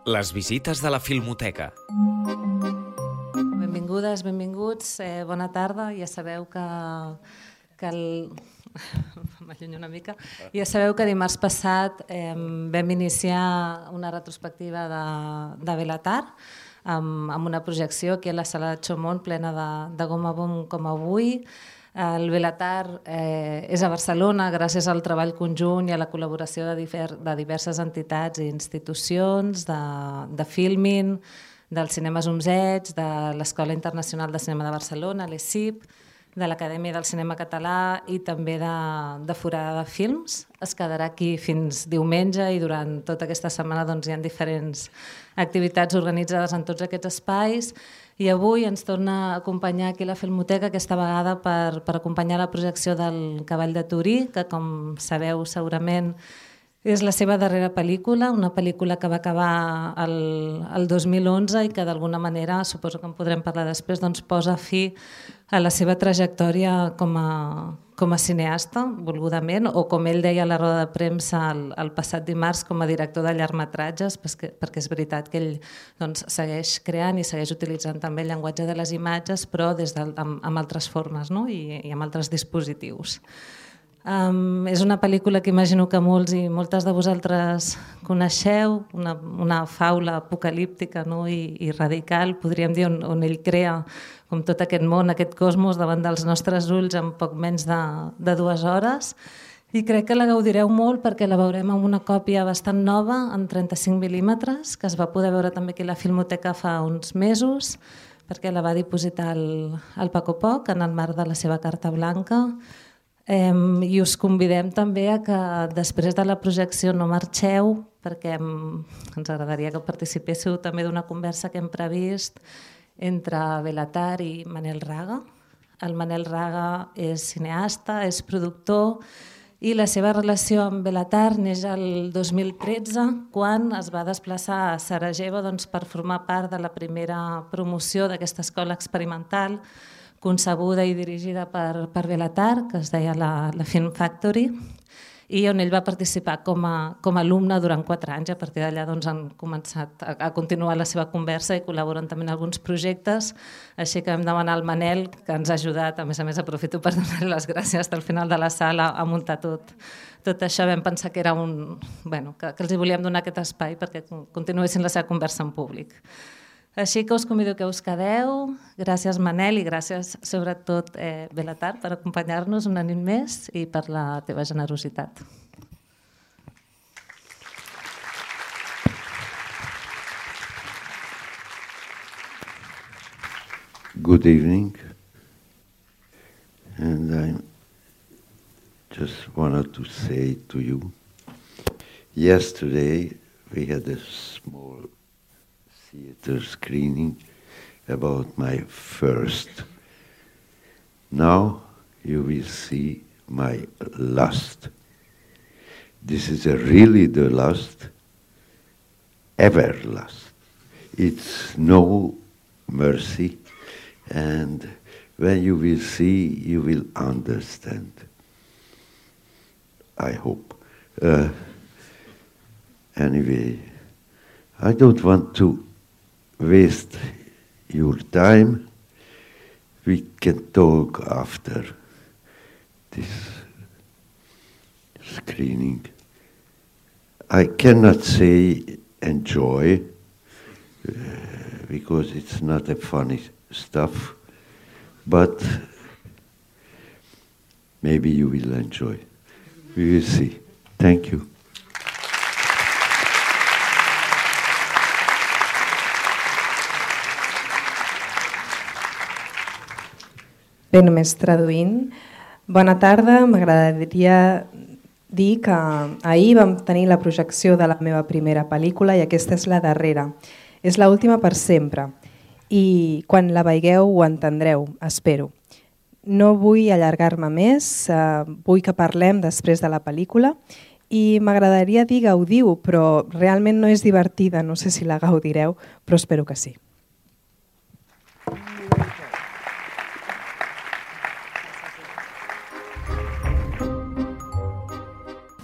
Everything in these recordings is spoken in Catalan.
Les visites de la Filmoteca. Benvingudes, benvinguts, bona tarda. Ja sabeu que m'allunyo una mica. Ja sabeu que dimarts passat vam iniciar una retrospectiva de Belatar amb una projecció aquí a la sala de Chaumont plena de goma bom com avui. El Belatar és a Barcelona gràcies al treball conjunt i a la col·laboració de diverses entitats i institucions, de Filmin, del Cinema Zumzeig, de l'Escola Internacional de Cinema de Barcelona, l'ESIP, de l'Acadèmia del Cinema Català i també de Forada de Films. Es quedarà aquí fins diumenge i durant tota aquesta setmana hi ha diferents activitats organitzades en tots aquests espais. I avui ens torna a acompanyar aquí a la Filmoteca, aquesta vegada per acompanyar la projecció del Cavall de Turí, que com sabeu segurament és la seva darrera pel·lícula, una pel·lícula que va acabar el 2011 i que d'alguna manera, suposo que en podrem parlar després, posa fi a la seva trajectòria com a cineasta, volgudament, o com ell deia a la roda de premsa el passat dimarts com a director de llargmetratges, perquè és veritat que ell segueix creant i segueix utilitzant també el llenguatge de les imatges, però amb altres formes i amb altres dispositius. És una pel·lícula que imagino que molts i moltes de vosaltres coneixeu, una faula apocalíptica i radical, podríem dir, on ell crea com tot aquest món, aquest cosmos davant dels nostres ulls en poc menys de 2 hores. I crec que la gaudireu molt perquè la veurem amb una còpia bastant nova, en 35 mil·límetres, que es va poder veure també aquí a la Filmoteca fa uns mesos, perquè la va dipositar el Paco Poch en el marc de la seva carta blanca. I us convidem també a que després de la projecció no marxeu, perquè ens agradaria que participéssiu també d'una conversa que hem previst entre Belatar i Manel Raga. El Manel Raga és cineasta, és productor, i la seva relació amb Belatar neix el 2013, quan es va desplaçar a Sarajevo per formar part de la primera promoció d'aquesta escola experimental concebuda i dirigida per Belatar, que es deia la Film Factory, i on ell va participar com a alumne durant 4 anys. A partir d'allà han començat a continuar la seva conversa i col·laboren també en alguns projectes, així que vam demanar al Manel, que ens ha ajudat, a més aprofito per donar-li les gràcies al final de la sala a muntar tot això. Vam pensar que era que els volíem donar aquest espai perquè continuessin la seva conversa en públic. Així que us convido que us quedeu. Gràcies, Manel, i gràcies sobretot Belatar per acompanyar-nos una nit més i per la teva generositat. Good evening, and I just wanted to say to you, yesterday we had a small theater screening about my first. Now you will see my last. This is really the last, ever last. It's no mercy, and when you will see, you will understand. I hope. Anyway, I don't want to waste your time. We can talk after this screening. I cannot say enjoy, because it's not a funny stuff, but maybe you will enjoy. We will see. Thank you. Bé, només traduint. Bona tarda, m'agradaria dir que ahir vam tenir la projecció de la meva primera pel·lícula i aquesta és la darrera. És l'última per sempre i quan la veieu ho entendreu, espero. No vull allargar-me més, vull que parlem després de la pel·lícula i m'agradaria dir gaudiu, però realment no és divertida, no sé si la gaudireu, però espero que sí.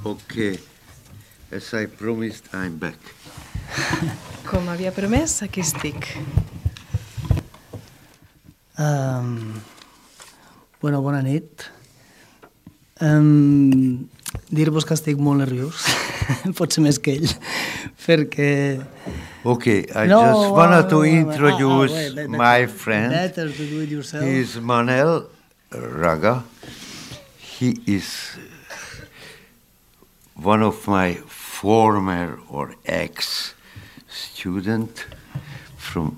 Okay, as I promised, I'm back. Com havia promès, aquí estic. Bona nit. Dir-vos que estic molt nerviós, potser més que ell, perquè... Okay, I just wanted to introduce my friend. Better to do it yourself. He is Manel Raga. He is one of my former or ex-student from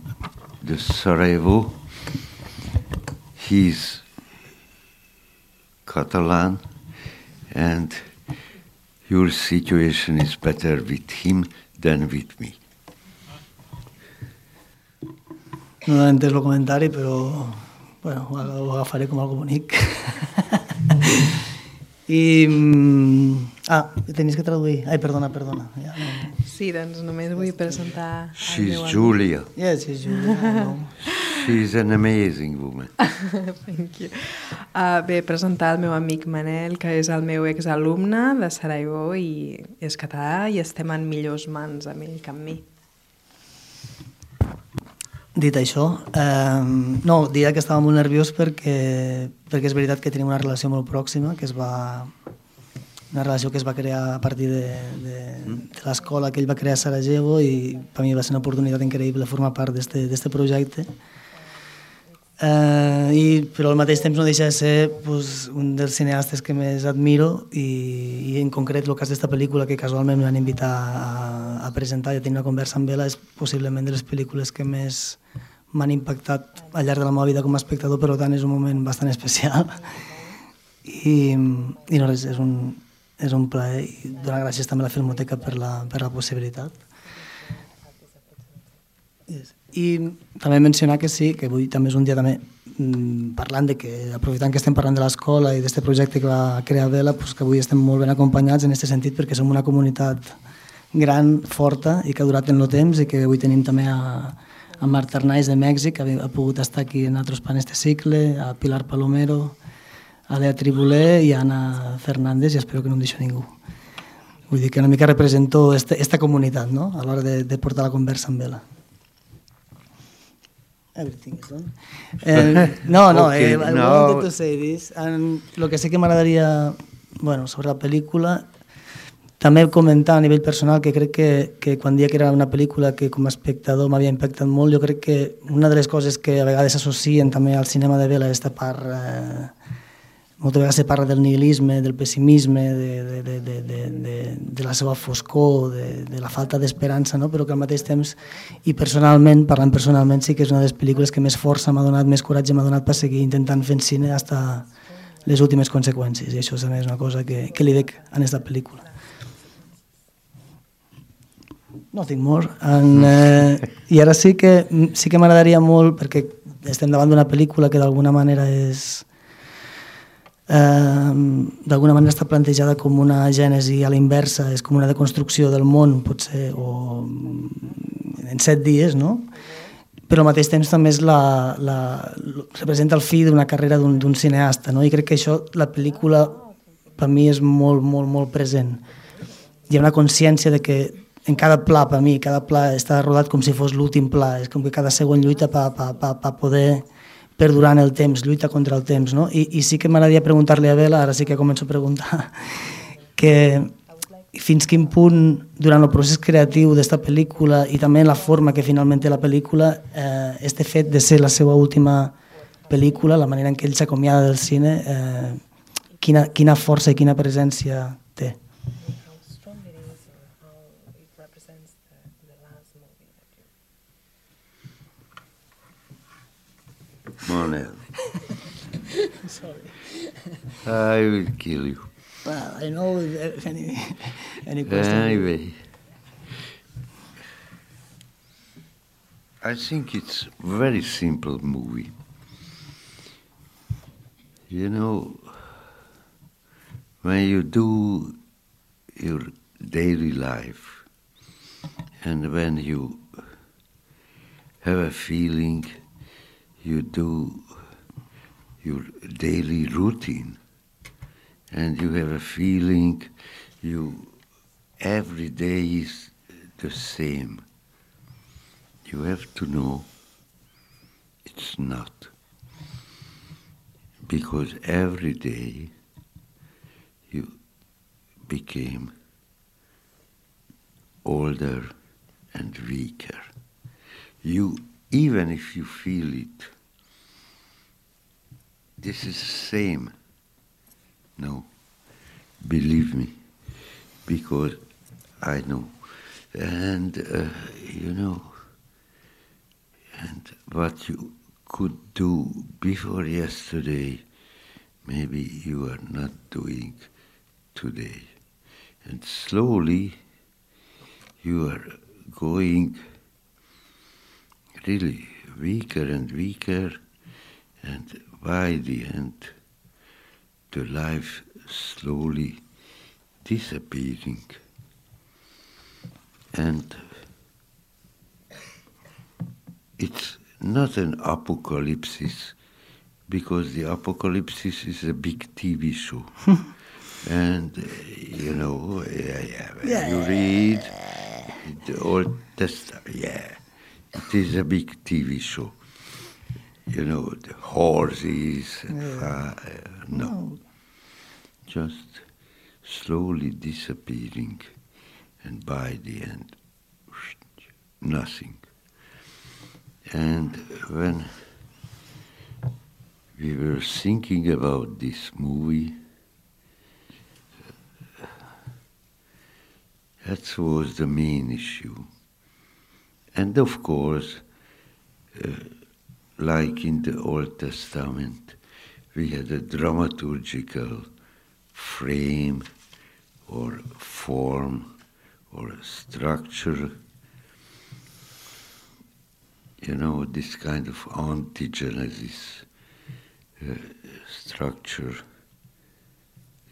the Sarajevo. He's Catalan, and your situation is better with him than with me. No he entès el comentari, però bueno, ho agafaré com algo bonic. I... tenies que traduir. Ai, perdona. Ja, no. Sí, doncs només vull presentar... She's Julia. Yes, she's Julia. She's an amazing woman. Thank you. Bé, presentar el meu amic Manel, que és el meu exalumne de Sarajevo i és català i estem en millors mans amb ell que amb mi. Dit això, diria que estava molt nerviós perquè és veritat que tenim una relació molt pròxima, una relació que es va crear a partir de l'escola que ell va crear a Sarajevo, i per mi va ser una oportunitat increïble formar part d'este projecte. Però al mateix temps no deixa de ser un dels cineastes que més admiro, i en concret el cas d'esta pel·lícula que casualment em van invitar a presentar i a tenir una conversa amb ella és possiblement de les pel·lícules que més m'han impactat al llarg de la meva vida com a espectador, per tant és un moment bastant especial i no res, és un plaer, i donar gràcies també a la Filmoteca per la possibilitat. I també mencionar que sí, que avui també és un dia també parlant de que, aprofitant que estem parlant de l'escola i d'aquest projecte que va crear Vela, que avui estem molt ben acompanyats en aquest sentit, perquè som una comunitat gran, forta i que ha durat en el temps, i que avui tenim també a Marta Arnaiz de Mèxic, que ha pogut estar aquí en altres pan este cicle, a Pilar Palomero, a Lea Tribuler i a Anna Fernández, i espero que no em deixo ningú. Vull dir que una mica represento esta comunitat, no?, a l'hora de portar la conversa amb Vela. Everything is done. I wanted to say this. Lo que sí que m'agradaria, sobre la pel·lícula, també comentar a nivell personal que crec que quan dia que era una pel·lícula que com a espectador m'havia impactat molt, jo crec que una de les coses que a vegades s'associen també al cinema de Vela és esta part, moltes vegades se parla del nihilisme, del pessimisme, de la seva foscor, de la falta d'esperança, no? Però que al mateix temps, i personalment, parlant personalment, sí que és una de les pel·lícules que més força m'ha donat, més coratge m'ha donat per seguir intentant fent cine fins a les últimes conseqüències, i això també és una cosa que li veig en aquesta pel·lícula. Nothing more. I ara sí que m'agradaria molt, perquè estem davant d'una pel·lícula que d'alguna manera està plantejada com una gènesi a la inversa, és com una deconstrucció del món, potser, o en 7 dies, no? Però al mateix temps també representa el fi d'una carrera d'un cineasta, no? I crec que això, la pel·lícula, per mi és molt, molt, molt present. Hi ha una consciència de que en cada pla, per mi, cada pla està rodat com si fos l'últim pla, és com que cada segon lluita per poder perdurar en el temps, lluita contra el temps, no? I sí que m'agradaria preguntar-li a Vela, ara sí que començo a preguntar, que fins quin punt, durant el procés creatiu d'esta pel·lícula i també en la forma que finalment té la pel·lícula, este fet de ser la seva última pel·lícula, la manera en què ell s'acomiada del cine, quina força i quina presència té. Manel. I will kill you. Well, I know if any question. Anyway, I think it's a very simple movie. You know, when you do your daily life and when you have a feeling, you do your daily routine and you have a feeling every day is the same. you have to know it's not. Because every day you became older and weaker. You, even if you feel it, this is the same. No, believe me, because I know. And, you know, and what you could do before yesterday, maybe you are not doing today. And slowly you are going really weaker and weaker, and by the end, the life slowly disappearing. And it's not an apocalypse, because the apocalypse is a big TV show. And, you know, you read the Old Testament, it is a big TV show. You know, the horses, and no. Just slowly disappearing, and by the end, nothing. And when we were thinking about this movie, that was the main issue. And of course, like in the Old Testament, we had a dramaturgical frame or form or structure. You know, this kind of anti-Genesis structure.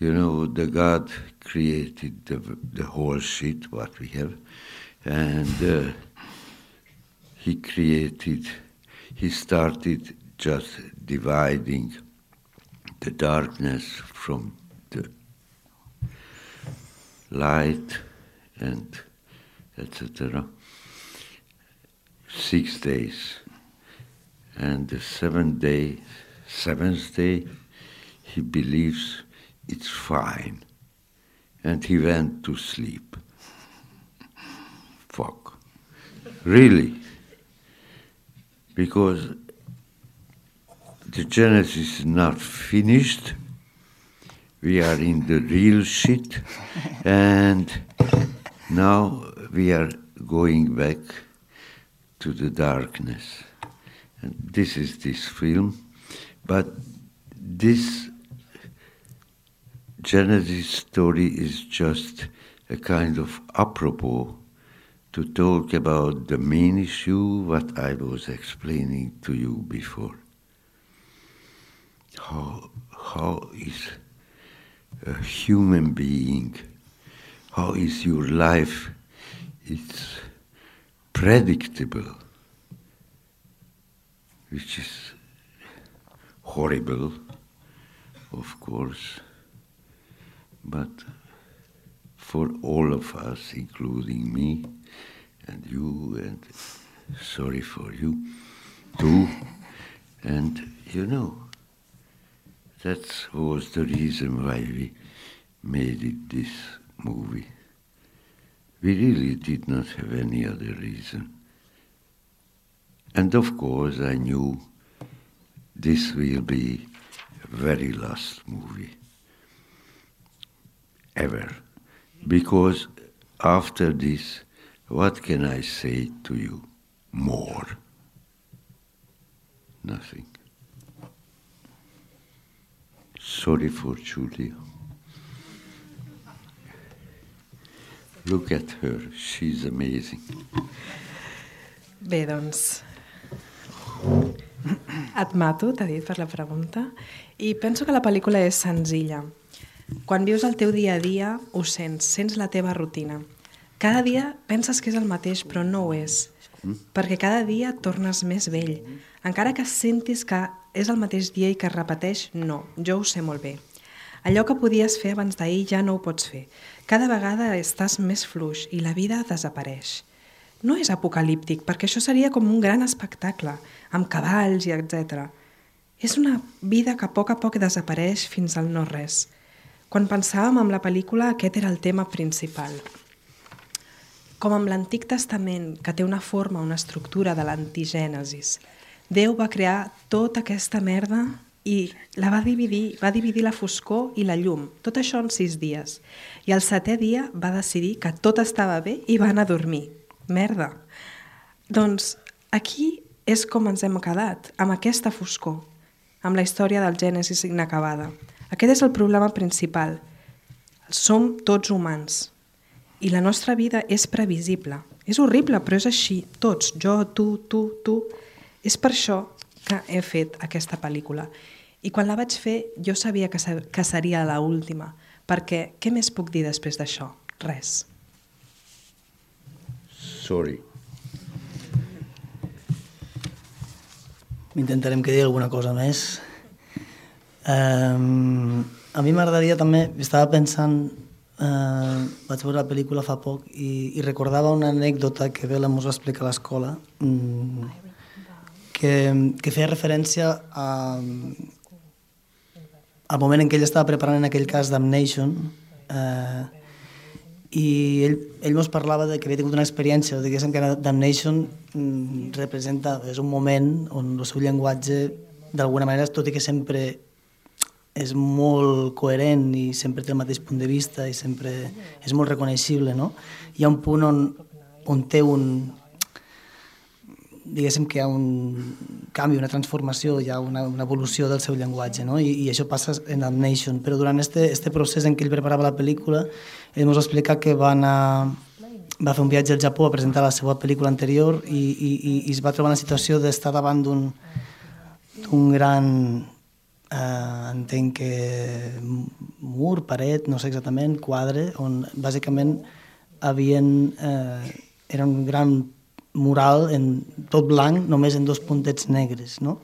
You know, the God created the whole shit, what we have, and he started just dividing the darkness from the light and etc. 6 days. And the seventh day, he believes it's fine. And he went to sleep. Fuck. Really. Because the Genesis is not finished. We are in the real shit. And now we are going back to the darkness. And this is this film. But this Genesis story is just a kind of apropos to talk about the main issue, what I was explaining to you before. How is a human being, how is your life, it's predictable, which is horrible, of course, but for all of us, including me and you, and sorry for you too, and you know, that was the reason why we made it this movie. We really did not have any other reason. And of course I knew this will be the very last movie ever. Because after this, what can I say to you more? Nothing. Sorry for Julia. Look at her, she's amazing. Bé, doncs, et mato, t'ha dit per la pregunta, i penso que la pel·lícula és senzilla. Quan vius el teu dia a dia, ho sents la teva rutina. Cada dia penses que és el mateix, però no ho és, perquè cada dia tornes més vell. Encara que sentis que és el mateix dia i que es repeteix, no, jo ho sé molt bé. Allò que podies fer abans d'ahir ja no ho pots fer. Cada vegada estàs més fluix i la vida desapareix. no és apocalíptic, perquè això seria com un gran espectacle, amb cavalls i etc. És una vida que a poc desapareix fins al no-res. Quan pensàvem en la pel·lícula, aquest era el tema principal. Com amb l'Antic Testament, que té una forma, una estructura de l'antigènesis, Déu va crear tota aquesta merda i la va dividir la foscor i la llum, tot això en 6 dies. I el 7è dia va decidir que tot estava bé i va anar a dormir. Merda. Doncs aquí és com ens hem quedat, amb aquesta foscor, amb la història del Gènesis inacabada. Aquest és el problema principal. Som tots humans i la nostra vida és previsible. És horrible, però és així. Tots, jo, tu. És per això que he fet aquesta pel·lícula. I quan la vaig fer, jo sabia que seria l'última, perquè què més puc dir després d'això? Res. Sorry. Intentarem que digui alguna cosa més. A mi m'agradaria també, estava pensant, vaig veure la pel·lícula fa poc i recordava una anècdota que Bela mos va explicar a l'escola, que feia referència al moment en què ell estava preparant en aquell cas Damnation, i ell mos parlava que havia tingut una experiència, diguéssim que Damnation representa, és un moment on el seu llenguatge d'alguna manera, tot i que sempre és molt coherent i sempre té el mateix punt de vista i sempre és molt reconeixible, no? Hi ha un punt on té diguéssim que hi ha un canvi, una transformació, hi ha una evolució del seu llenguatge, no? I això passa en Damnation, però durant este procés en què ell preparava la pel·lícula, ell ens va explicar que va fer un viatge al Japó a presentar la seva pel·lícula anterior i es va trobar en la situació d'estar davant d'un gran, entenc que mur, paret, no sé exactament, quadre, on bàsicament era un gran mural en tot blanc, només en 2 puntets negres, no?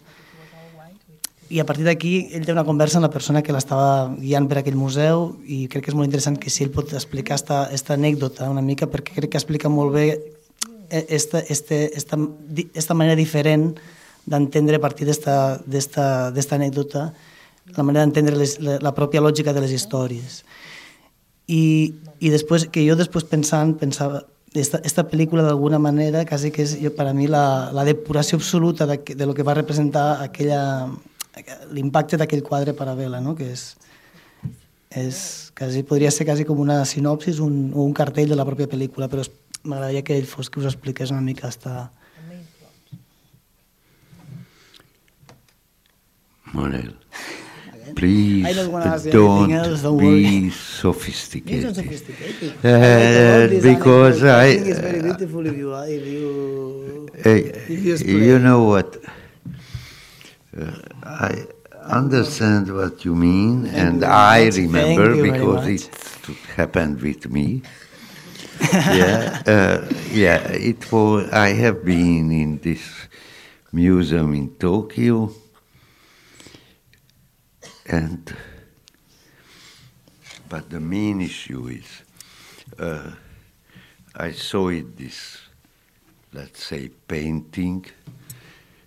I a partir d'aquí ell té una conversa amb la persona que l'estava guiant per aquell museu i crec que és molt interessant que si ell pot explicar esta anècdota una mica, perquè crec que explica molt bé esta manera diferent d'entendre a partir d'esta anècdota, la manera d'entendre la pròpia lògica de les històries. I després, que jo després pensava esta pel·lícula d'alguna manera quasi que és per a mi la depuració absoluta de lo que va representar l'impacte d'aquell quadre per a Bela, no? Que podria ser quasi com una sinopsis o un cartell de la pròpia pel·lícula, però m'agradaria que ell fos que us expliqués una mica Manel, please don't be sophisticated. Because you know what, I understand what you mean, and I remember because it happened with me. It was. I have been in this museum in Tokyo. But the main issue is, I saw this, let's say, painting,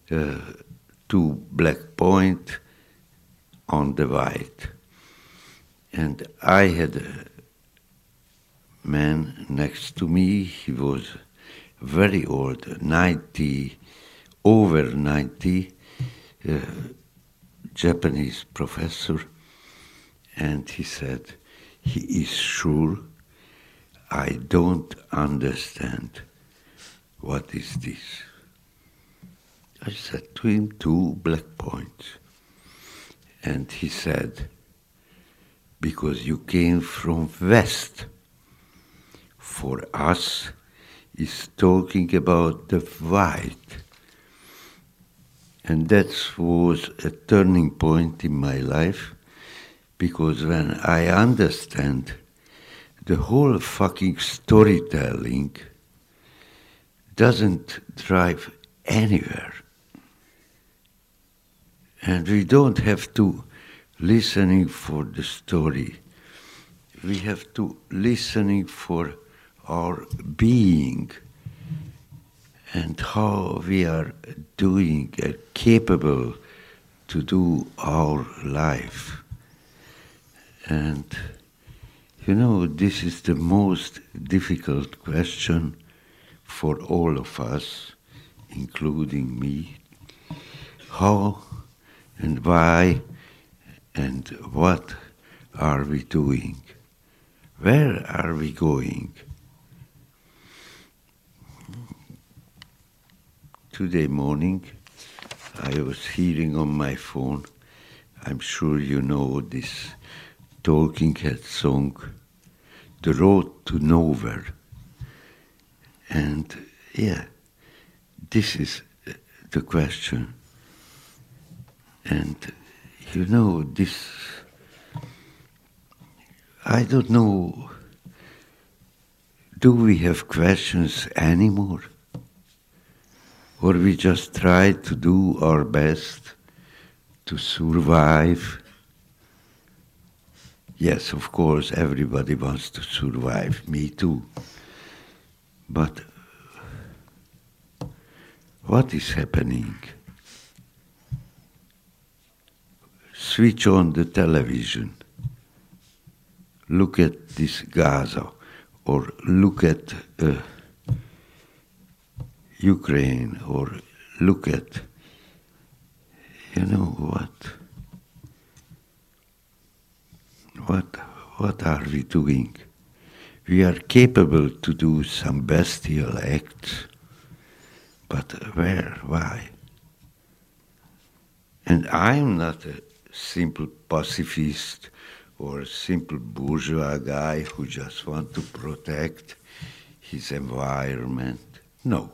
2 black points on the white. And I had a man next to me, he was very old, over 90, Japanese professor, and he said, he is sure I don't understand what is this. I said to him, 2 black points. And he said, because you came from West. For us, is talking about the white. And that was a turning point in my life, because when I understand the whole fucking storytelling doesn't drive anywhere. And we don't have to listening for the story. We have to listening for our being. and how we are doing, capable to do our life. And, this is the most difficult question for all of us, including me. How and why and what are we doing? Where are we going? Today morning, I was hearing on my phone, I'm sure you know this Talking Heads song, The Road to Nowhere. And this is the question. And this, I don't know, do we have questions anymore? Or we just try to do our best to survive? Yes, of course, everybody wants to survive, me too. But what is happening? Switch on the television. Look at this Gaza, or look at Ukraine, or look at, what are we doing? We are capable to do some bestial acts, but where, why? And I'm not a simple pacifist or a simple bourgeois guy who just wants to protect his environment. No.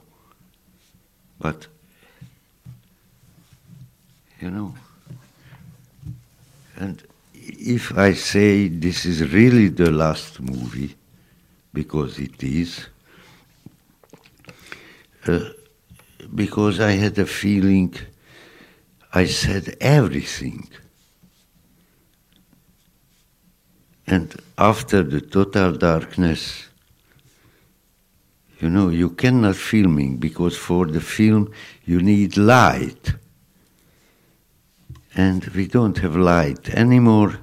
But, and if I say this is really the last movie, because it is, because I had a feeling I said everything. And after the total darkness, you cannot filming, because for the film you need light. And we don't have light anymore,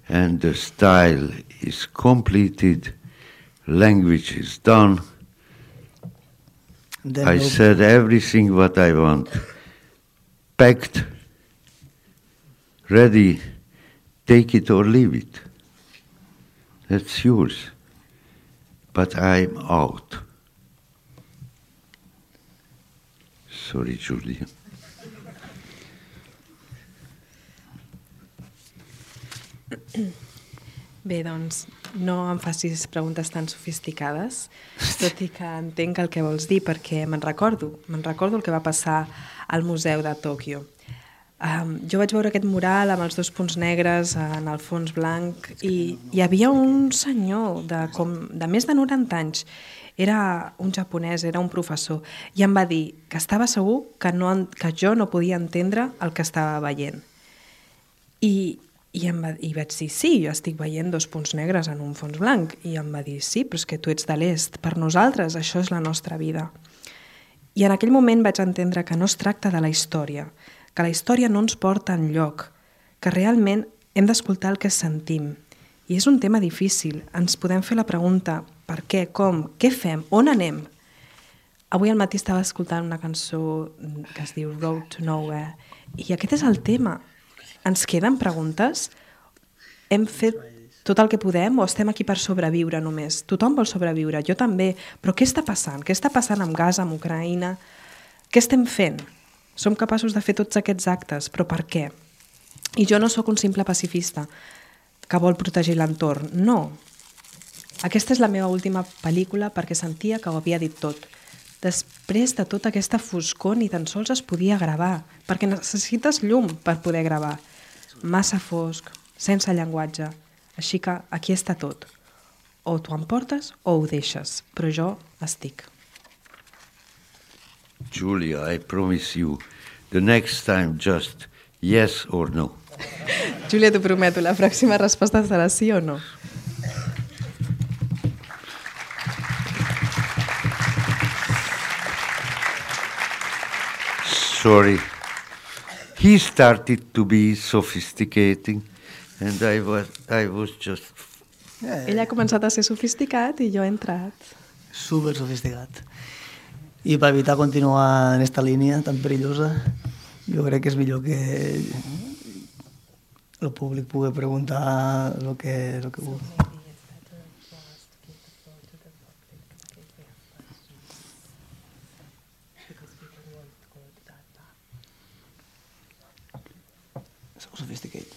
and the style is completed, language is done. I said everything what I want. Packed, ready, take it or leave it. That's yours. But I'm out. Sorry, Julia. Bé, doncs, no em facis preguntes tan sofisticades, tot i que entenc el que vols dir, perquè me'n recordo el que va passar al Museu de Tòquio. Jo vaig veure aquest mural amb els 2 punts negres en el fons blanc i hi havia un senyor de més de 90 anys. Era un japonès, era un professor, i em va dir que estava segur que jo no podia entendre el que estava veient. I vaig dir, sí, jo estic veient 2 punts negres en un fons blanc. I em va dir, sí, però és que tu ets de l'est. Per nosaltres això és la nostra vida. I en aquell moment vaig entendre que no es tracta de la història, que la història no ens porta enlloc, que realment hem d'escoltar el que sentim. I és un tema difícil. Ens podem fer la pregunta, per què, com, què fem, on anem? Avui al matí estava escoltant una cançó que es diu Road to Nowhere, i aquest és el tema. Ens queden preguntes? Hem fet tot el que podem o estem aquí per sobreviure només? Tothom vol sobreviure, jo també, però què està passant? Què està passant amb Gaza, amb Ucraïna? Què estem fent? Som capaços de fer tots aquests actes, però per què? I jo no sóc un simple pacifista que vol protegir l'entorn, no. Aquesta és la meva última pel·lícula perquè sentia que ho havia dit tot. Després de tota aquesta foscor ni tan sols es podia gravar, perquè necessites llum per poder gravar. Massa fosc, sense llenguatge. Així que aquí està tot. O t'ho emportes o ho deixes, però jo estic. Julia, I promise you, the next time just yes or no. Julia, t'ho prometo, la pròxima resposta serà sí o no. sorry. He started to be sophisticated, and I was just... Ell ha començat a ser sofisticat i jo he entrat. Super sofisticat. I per evitar continuar en esta línia tan perillosa, jo crec que és millor que el públic pugui preguntar el que vulgui. Sophisticated.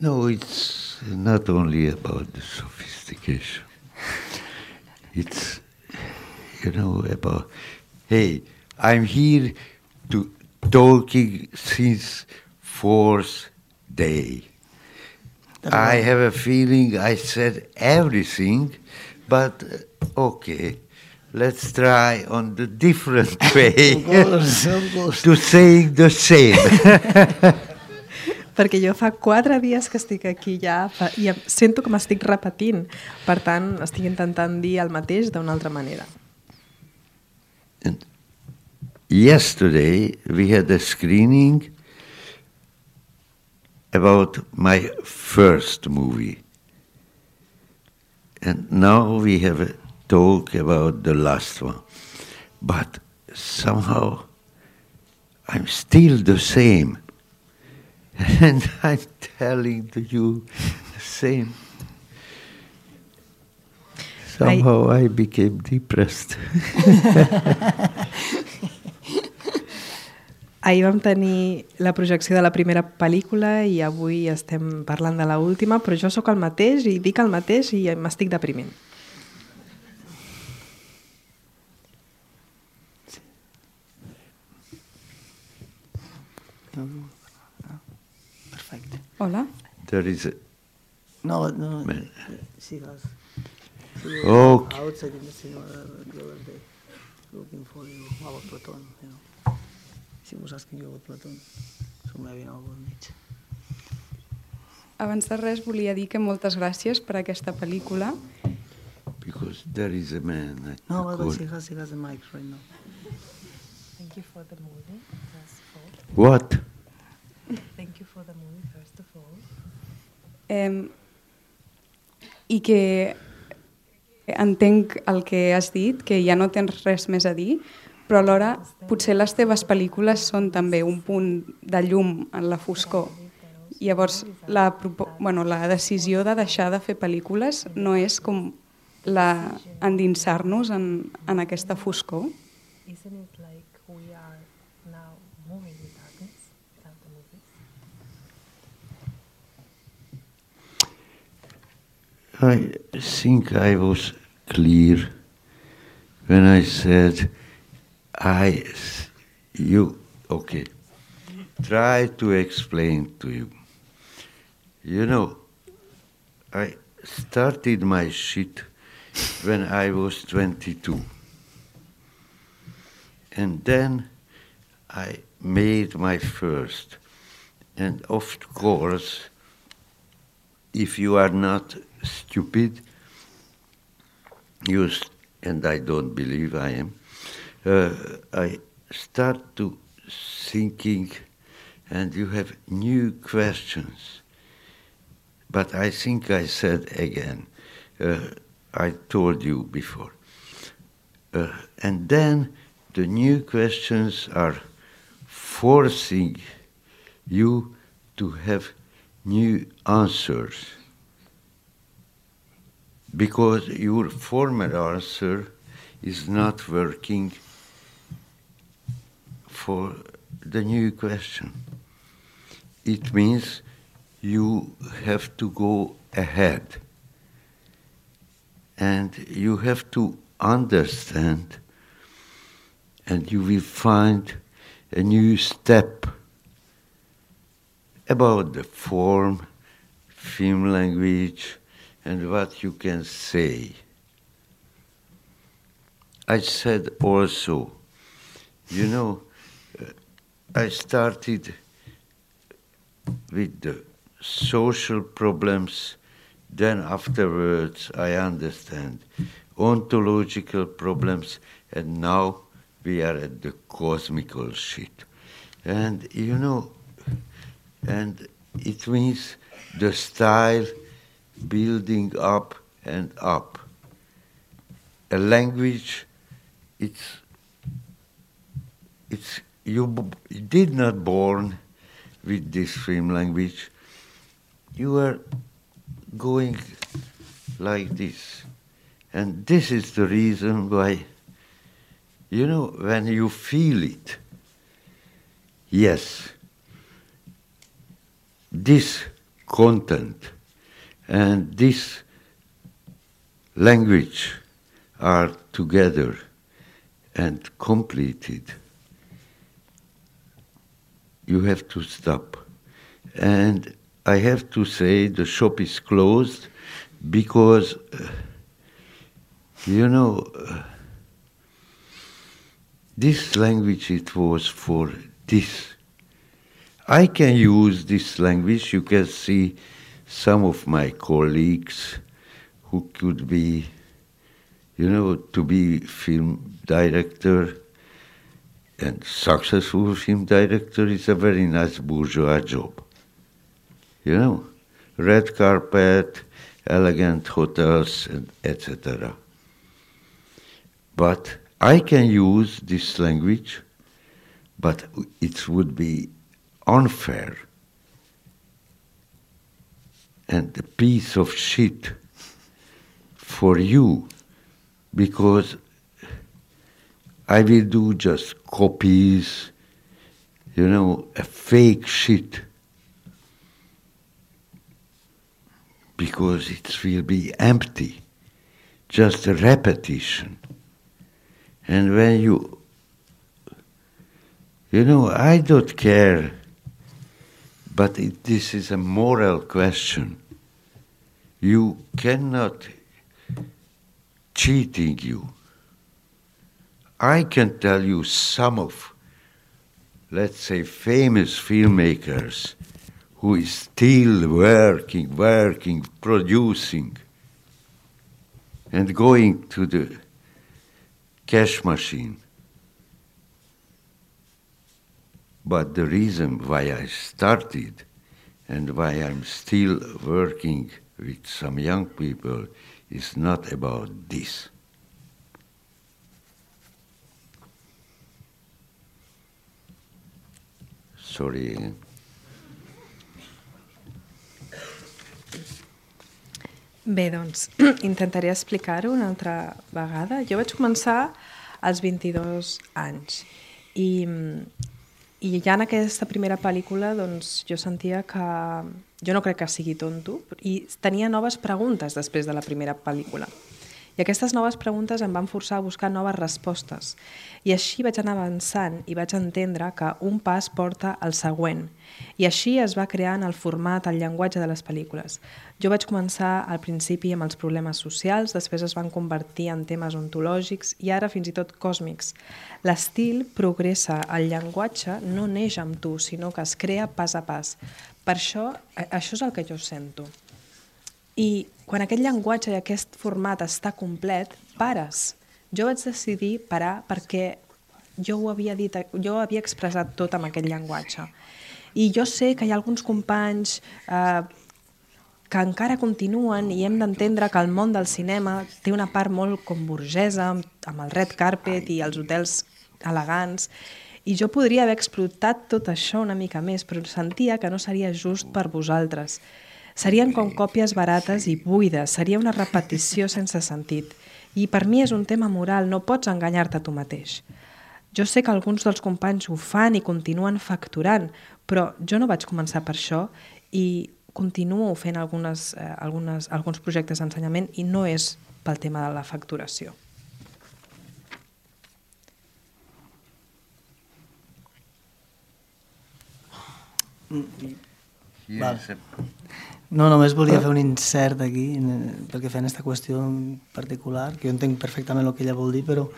No, it's not only about the sophistication. It's, about, hey, I'm here to talking since fourth day. I have a feeling I said everything, but okay, let's try on the different way Of course. to saying the same. Perquè jo fa 4 dies que estic aquí ja i sento que m'estic repetint. Per tant, estic intentant dir el mateix d'una altra manera. And yesterday we had a screening about my first movie. And now we have a talk about the last one. But somehow I'm still the same. And I'm telling to you the same. Somehow I became depressed. Ahir vam tenir la projecció de la primera pel·lícula i avui estem parlant de l'última, però jo sóc el mateix i dic el mateix i m'estic deprimint. Perfecte. Hola. There is a... No. Man. Sigues. Okay. Outside in the cinema the other day, looking for you about Platon, She was asking you about Platon, so maybe now we'll meet. Abans de res volia dir que moltes gràcies per aquesta pel·lícula. Because there is a man at No, the but corner. she has the mic right now. Thank you for the movie, first of all. What? Thank you for the movie, first of all. I que entenc el que has dit, que ja no tens res més a dir, però alhora potser les teves pel·lícules són també un punt de llum en la foscor. Llavors, la decisió de deixar de fer pel·lícules no és com endinsar-nos en aquesta foscor? Isn't it like we are now moving in darkness without the movies? I think I was clear when I said okay, try to explain to you. You know, I started my shit when I was 22. And then I made my first. And of course, if you are not stupid, and I don't believe I am, I start to thinking, and you have new questions. But I think I said again, I told you before. And then the new questions are forcing you to have new answers. Because your former answer is not working for the new question. It means you have to go ahead. And you have to understand, and you will find a new step about the form, film language, and what you can say. I said also, I started with the social problems, then afterwards I understand ontological problems, and now we are at the cosmical shit. And, and it means the style building up and up. A language, you did not born with this film language. You are going like this. And this is the reason why, when you feel it, yes, this content and this language are together and completed, you have to stop. And I have to say the shop is closed because, this language, it was for this. I can use this language. You can see some of my colleagues who could be, to be film director, and successful film director is a very nice bourgeois job. Red carpet, elegant hotels, and etc. But I can use this language, but it would be unfair and a piece of shit for you, because I will do just copies, a fake shit, because it will be empty, just a repetition. And when I don't care, but this is a moral question. You cannot cheating you. I can tell you some of, let's say, famous filmmakers who is still working, producing, and going to the cash machine. But the reason why I started and why I'm still working with some young people is not about this. Sorry. Bé, doncs, intentaré explicar-ho una altra vegada. Jo vaig començar als 22 anys i ja en aquesta primera pel·lícula doncs, jo sentia que... Jo no crec que sigui tonto, i tenia noves preguntes després de la primera pel·lícula. I aquestes noves preguntes em van forçar a buscar noves respostes. I així vaig anar avançant i vaig entendre que un pas porta al següent. I així es va crear en el format, el llenguatge de les pel·lícules. Jo vaig començar al principi amb els problemes socials, després es van convertir en temes ontològics i ara fins i tot còsmics. L'estil progressa, el llenguatge no neix amb tu, sinó que es crea pas a pas. Per això és el que jo sento. I quan aquest llenguatge i aquest format està complet, pares. Jo vaig decidir parar perquè jo ho havia dit, jo ho havia expressat tot amb aquest llenguatge. I jo sé que hi ha alguns companys que encara continuen i hem d'entendre que el món del cinema té una part molt com burgesa, amb el red carpet i els hotels elegants, i jo podria haver explotat tot això una mica més, però sentia que no seria just per vosaltres. Serien com còpies barates i buides, seria una repetició sense sentit. I per mi és un tema moral, no pots enganyar-te a tu mateix. Jo sé que alguns dels companys ho fan i continuen facturant, però jo no vaig començar per això i continuo fent alguns projectes d'ensenyament i no és pel tema de la facturació. No, només volia fer un insert aquí, perquè fent aquesta qüestió en particular, que jo entenc perfectament el que ella vol dir, però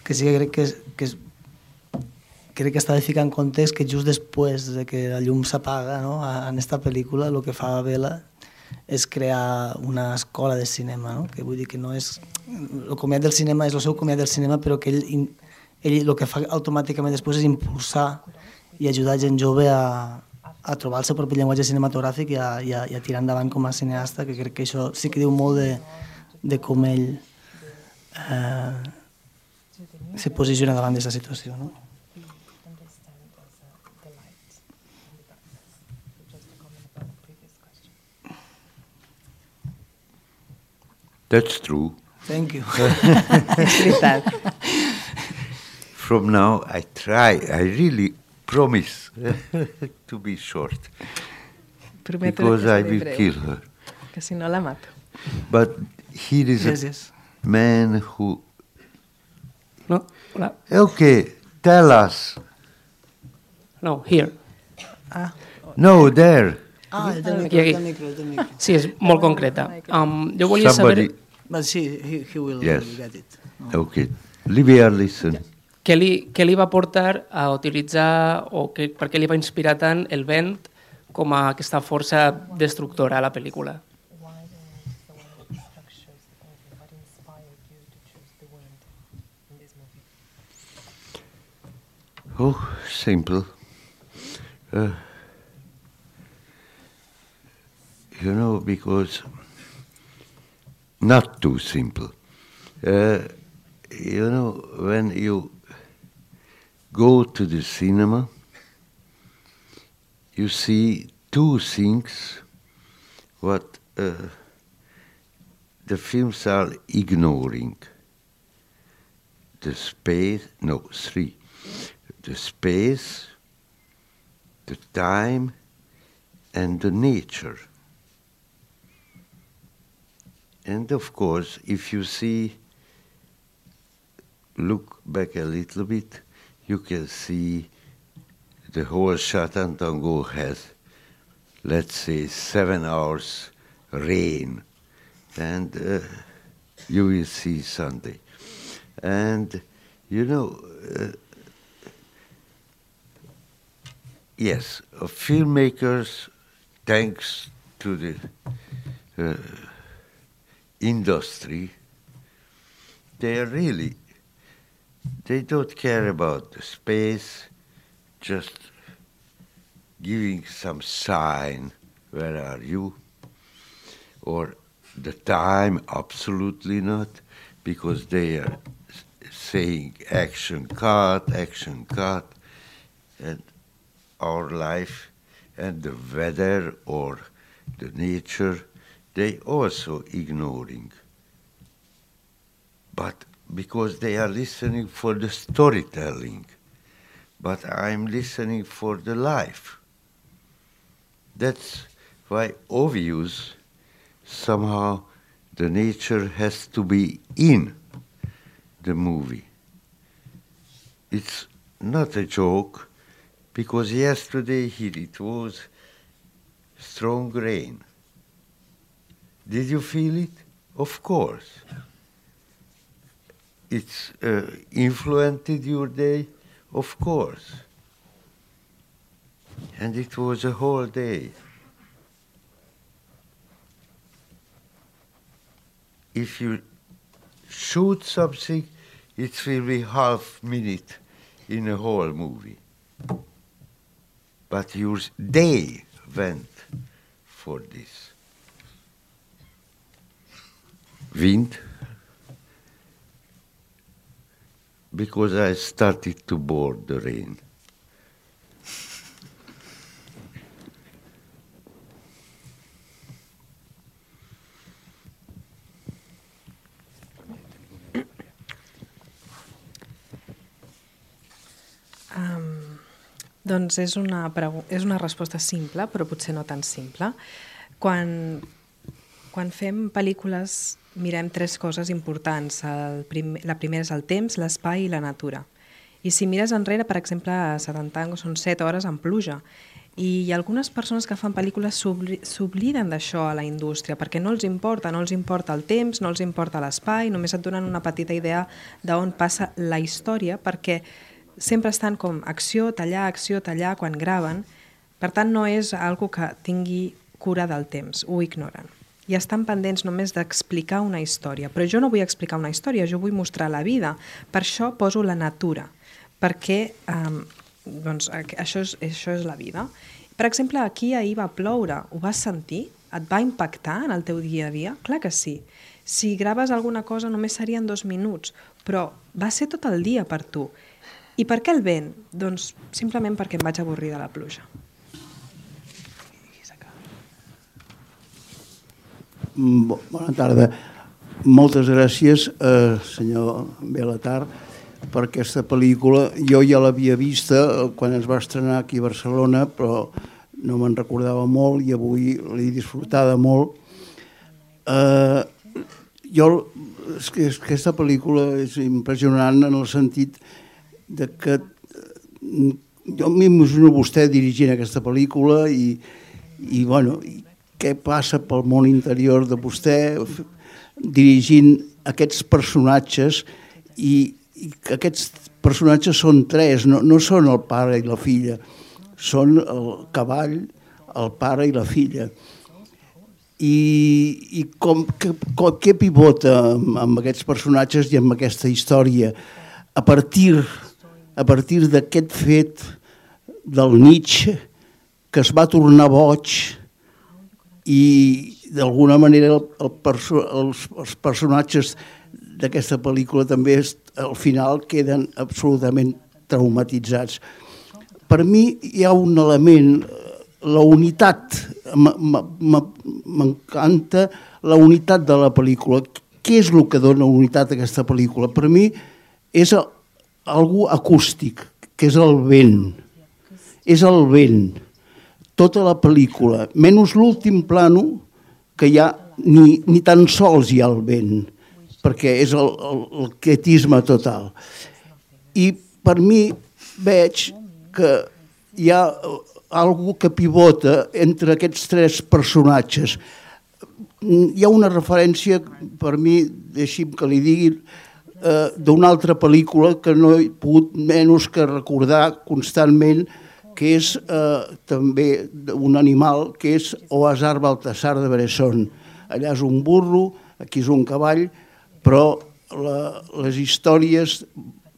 que sí que crec que està de ficar en context que just després de que la llum s'apaga, no, en aquesta pel·lícula, el que fa Bela és crear una escola de cinema, no? Que vull dir que no és... El comiat del cinema és el seu comiat del cinema, però que ell ell el que fa automàticament després és impulsar i ajudar gent jove a trobar el seu propi llenguatge cinematogràfic i a tirar endavant com a cineasta, que crec que això sí que diu molt de com ell se posiciona davant d'aquesta situació, no? That's true. Thank you. És veritat. From now, I really promise to be short. Prometo Because que I seré will breu, kill her. que si no la mato. But here is Yes. a man who... No, hola. Okay, tell us. No, here. No, there. El del micro, el del micro. Sí, és molt concreta. Jo volia Somebody... saber But sí, he will Yes. get it. Okay, Livia, listen. què li va portar a utilitzar o per què li va inspirar tant el vent com a aquesta força destructora a la pel·lícula. Oh, simple. Because not too simple. When you go to the cinema, you see two things what the films are ignoring. Three. The space, the time, and the nature. And of course, if you look back a little bit, you can see the whole Chatantango has, let's say, 7 hours rain, and you will see Sunday. And, yes, filmmakers, thanks to the industry, they don't care about the space, just giving some sign, where are you? Or the time, absolutely not, because they are saying action cut, and our life and the weather or the nature, they also ignoring. But because they are listening for the storytelling, but I'm listening for the life. That's why obvious somehow the nature has to be in the movie. It's not a joke, because yesterday here it was strong rain. Did you feel it? Of course. It's influenced your day? Of course. And it was a whole day. If you shoot something, it will be half minute in a whole movie. But your day went for this. Wind, because I started to board the rain. Doncs és una resposta simple, però potser no tan simple. Quan fem pel·lícules mirem 3 coses importants. La primera és el temps, l'espai i la natura. I si mires enrere, per exemple, a Chatantango són 7 hores en pluja. I algunes persones que fan pel·lícules s'obliden d'això a la indústria, perquè no els importa el temps, no els importa l'espai, només et donen una petita idea d'on passa la història, perquè sempre estan com acció, tallar, quan graven. Per tant, no és algo que tingui cura del temps, ho ignoren. i estan pendents només d'explicar una història. Però jo no vull explicar una història, jo vull mostrar la vida. Per això poso la natura, perquè doncs, això és la vida. Per exemple, aquí ahir va ploure, ho vas sentir? Et va impactar en el teu dia a dia? Clar que sí. Si graves alguna cosa només serien 2 minuts, però va ser tot el dia per tu. I per què el vent? Doncs simplement perquè em vaig avorrir de la pluja. Bona tarda. Moltes gràcies, senyor Belatar, per aquesta pel·lícula. Jo ja l'havia vista quan es va estrenar aquí a Barcelona, però no me'n recordava molt i avui l'he disfrutada molt. Aquesta pel·lícula és impressionant en el sentit de que jo m'imagino vostè dirigint aquesta pel·lícula i què passa pel món interior de vostè dirigint aquests personatges i aquests personatges són 3, no són el pare i la filla, són el cavall, el pare i la filla. I què pivota amb aquests personatges i amb aquesta història a partir d'aquest fet del Nietzsche que es va tornar boig i d'alguna manera els personatges d'aquesta pel·lícula també al final queden absolutament traumatitzats. Per mi hi ha un element, la unitat, m'encanta la unitat de la pel·lícula. Què és el que dona unitat a aquesta pel·lícula? Per mi és algú acústic, que és el vent. És el vent. Tota la pel·lícula, menys l'últim plano, que ja ni tan sols hi ha el vent, perquè és el quietisme total. I per mi veig que hi ha algú que pivota entre aquests 3 personatges. Hi ha una referència, per mi, deixi'm que li digui, d'una altra pel·lícula que no he pogut menys que recordar constantment, que és també un animal, que és O Hasard Baltasar de Bresson. Allà és un burro, aquí és un cavall, però les històries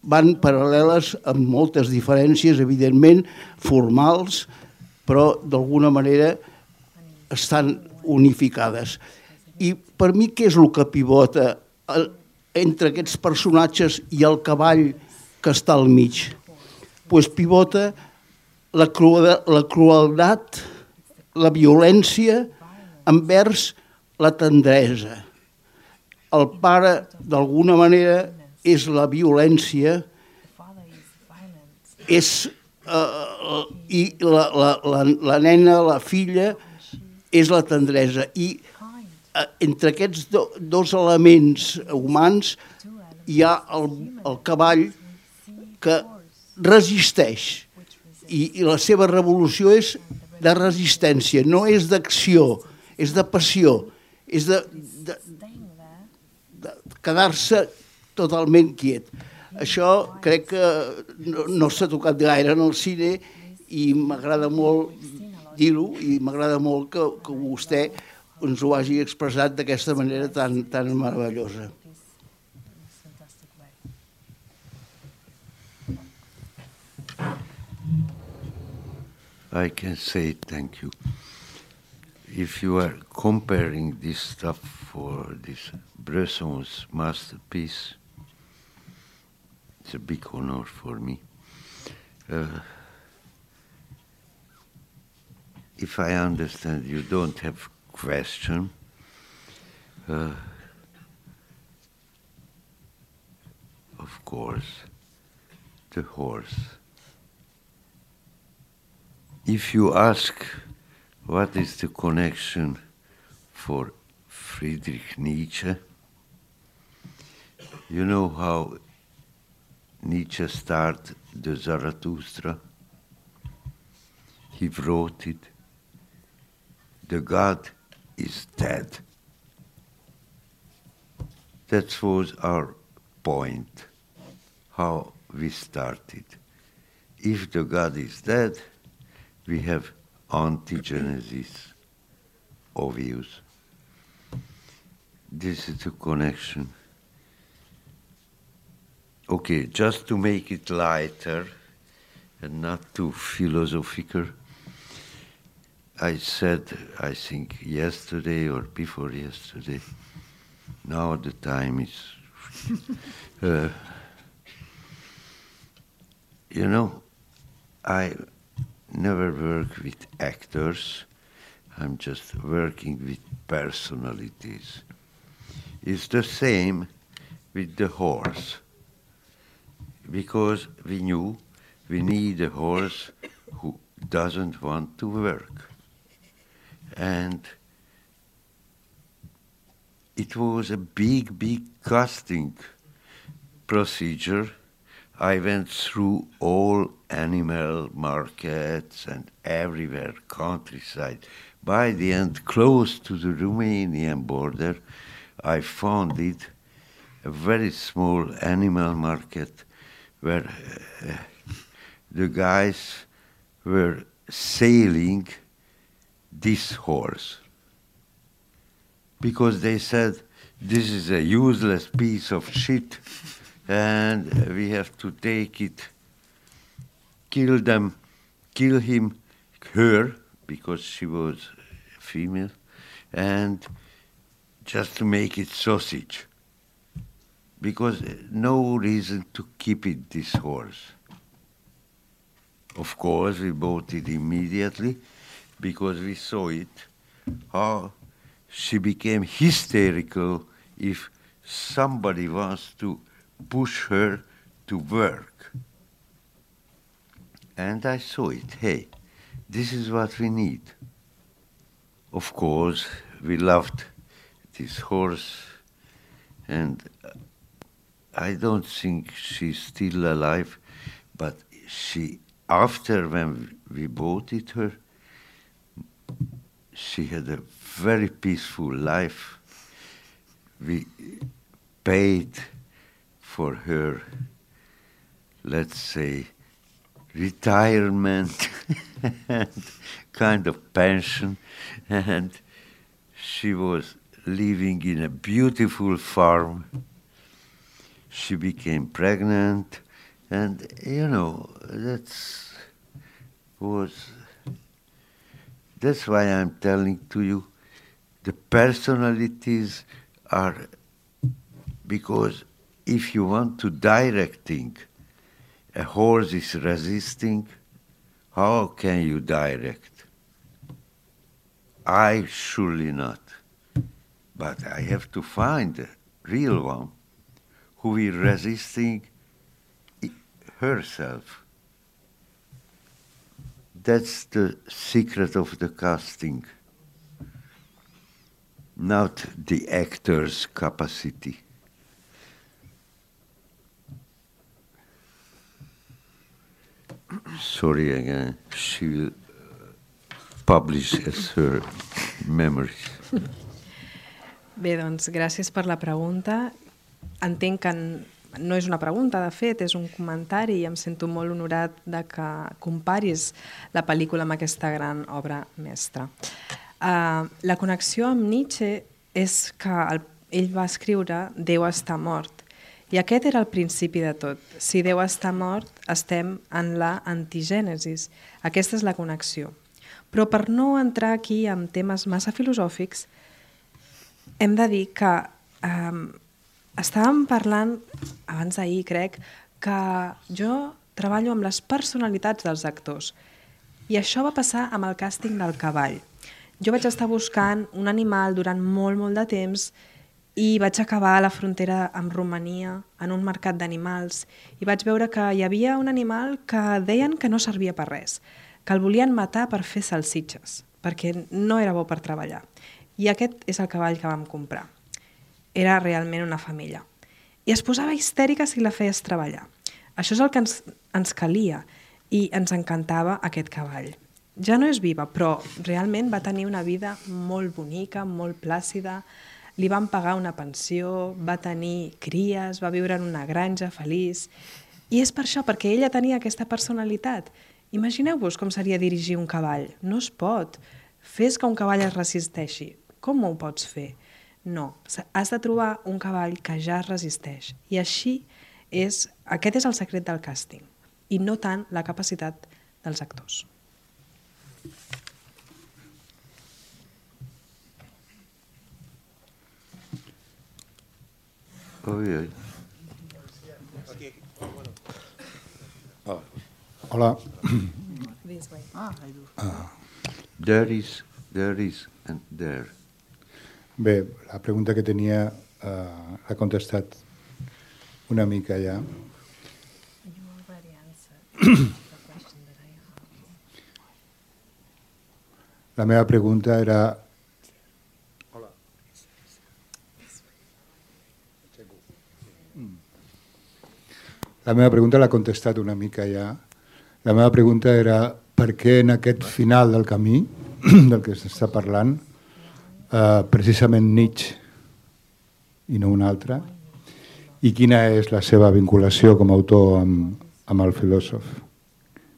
van paral·leles amb moltes diferències, evidentment, formals, però d'alguna manera estan unificades. I per mi què és el que pivota entre aquests personatges i el cavall que està al mig? Doncs pivota la crueldat, la violència envers la tendresa. El pare, d'alguna manera, és la violència, i la nena, la filla, és la tendresa. I entre aquests 2 elements humans hi ha el cavall que resisteix. I la seva revolució és de resistència, no és d'acció, és de passió, és de quedar-se totalment quiet. Això crec que no s'ha tocat gaire en el cine i m'agrada molt dir-ho i m'agrada molt que vostè ens ho hagi expressat d'aquesta manera tan meravellosa. I can say thank you. If you are comparing this stuff for this Bresson's masterpiece, it's a big honor for me. If I understand, you don't have question. Of course, the horse. If you ask what is the connection for Friedrich Nietzsche, you know how Nietzsche started the Zarathustra? He wrote it, the God is dead. That was our point, how we started. If the God is dead, we have anti-Genesis, obvious. this is the connection. Okay, just to make it lighter and not too philosophical, I said, I think yesterday or before yesterday, now the time is, you know, I never work with actors, I'm just working with personalities. It's the same with the horse, because we knew we need a horse who doesn't want to work. And it was a big, big casting procedure. I went through all animal markets and everywhere, countryside. By the end, close to the Romanian border, I found it a very small animal market where the guys were selling this horse because they said this is a useless piece of shit and we have to take it, kill him, her, because she was female, and just to make it sausage, because no reason to keep it, this horse. Of course, we bought it immediately because we saw it, how she became hysterical if somebody wants to push her to work. And I saw it, hey, this is what we need. Of course, we loved this horse, and I don't think she's still alive, but she, after when we bought it her, she had a very peaceful life. We paid for her, let's say, retirement and kind of pension, and she was living in a beautiful farm. She became pregnant, and you know, that's why I'm telling to you, the personalities are, because if you want to directing, a horse is resisting, how can you direct? I surely not. But I have to find a real one who is resisting herself. That's the secret of the casting, not the actor's capacity. Sorry again, she will publish as her memories. Bé, doncs gràcies per la pregunta. Entenc que no és una pregunta, de fet, és un comentari i em sento molt honorat de que comparis la pel·lícula amb aquesta gran obra mestra. La connexió amb Nietzsche és que ell va escriure Déu està mort. I aquest era el principi de tot. Si Déu està mort, estem en la antigènesis. Aquesta és la connexió. Però per no entrar aquí en temes massa filosòfics, hem de dir que estàvem parlant, abans d'ahir crec, que jo treballo amb les personalitats dels actors. I això va passar amb el càsting del cavall. Jo vaig estar buscant un animal durant molt, molt de temps i vaig acabar a la frontera amb Romania, en un mercat d'animals, i vaig veure que hi havia un animal que deien que no servia per res, que el volien matar per fer salsitxes, perquè no era bo per treballar. I aquest és el cavall que vam comprar. Era realment una femella. I es posava histèrica si la feies treballar. Això és el que ens calia, i ens encantava aquest cavall. Ja no és viva, però realment va tenir una vida molt bonica, molt plàcida, li van pagar una pensió, va tenir cries, va viure en una granja feliç. I és per això, perquè ella tenia aquesta personalitat. Imagineu-vos com seria dirigir un cavall. No es pot. Fes que un cavall es resisteixi. Com ho pots fer? No, has de trobar un cavall que ja es resisteix. I aquest és el secret del càsting, i no tant la capacitat dels actors. Hola. There is, and there. Bé, la pregunta que tenia l'ha contestat una mica ja. La meva pregunta era... La meva pregunta l'ha contestat una mica ja. La meva pregunta era per què en aquest final del camí del que s'està parlant precisament Nietzsche i no un altre, i quina és la seva vinculació com a autor amb el filòsof.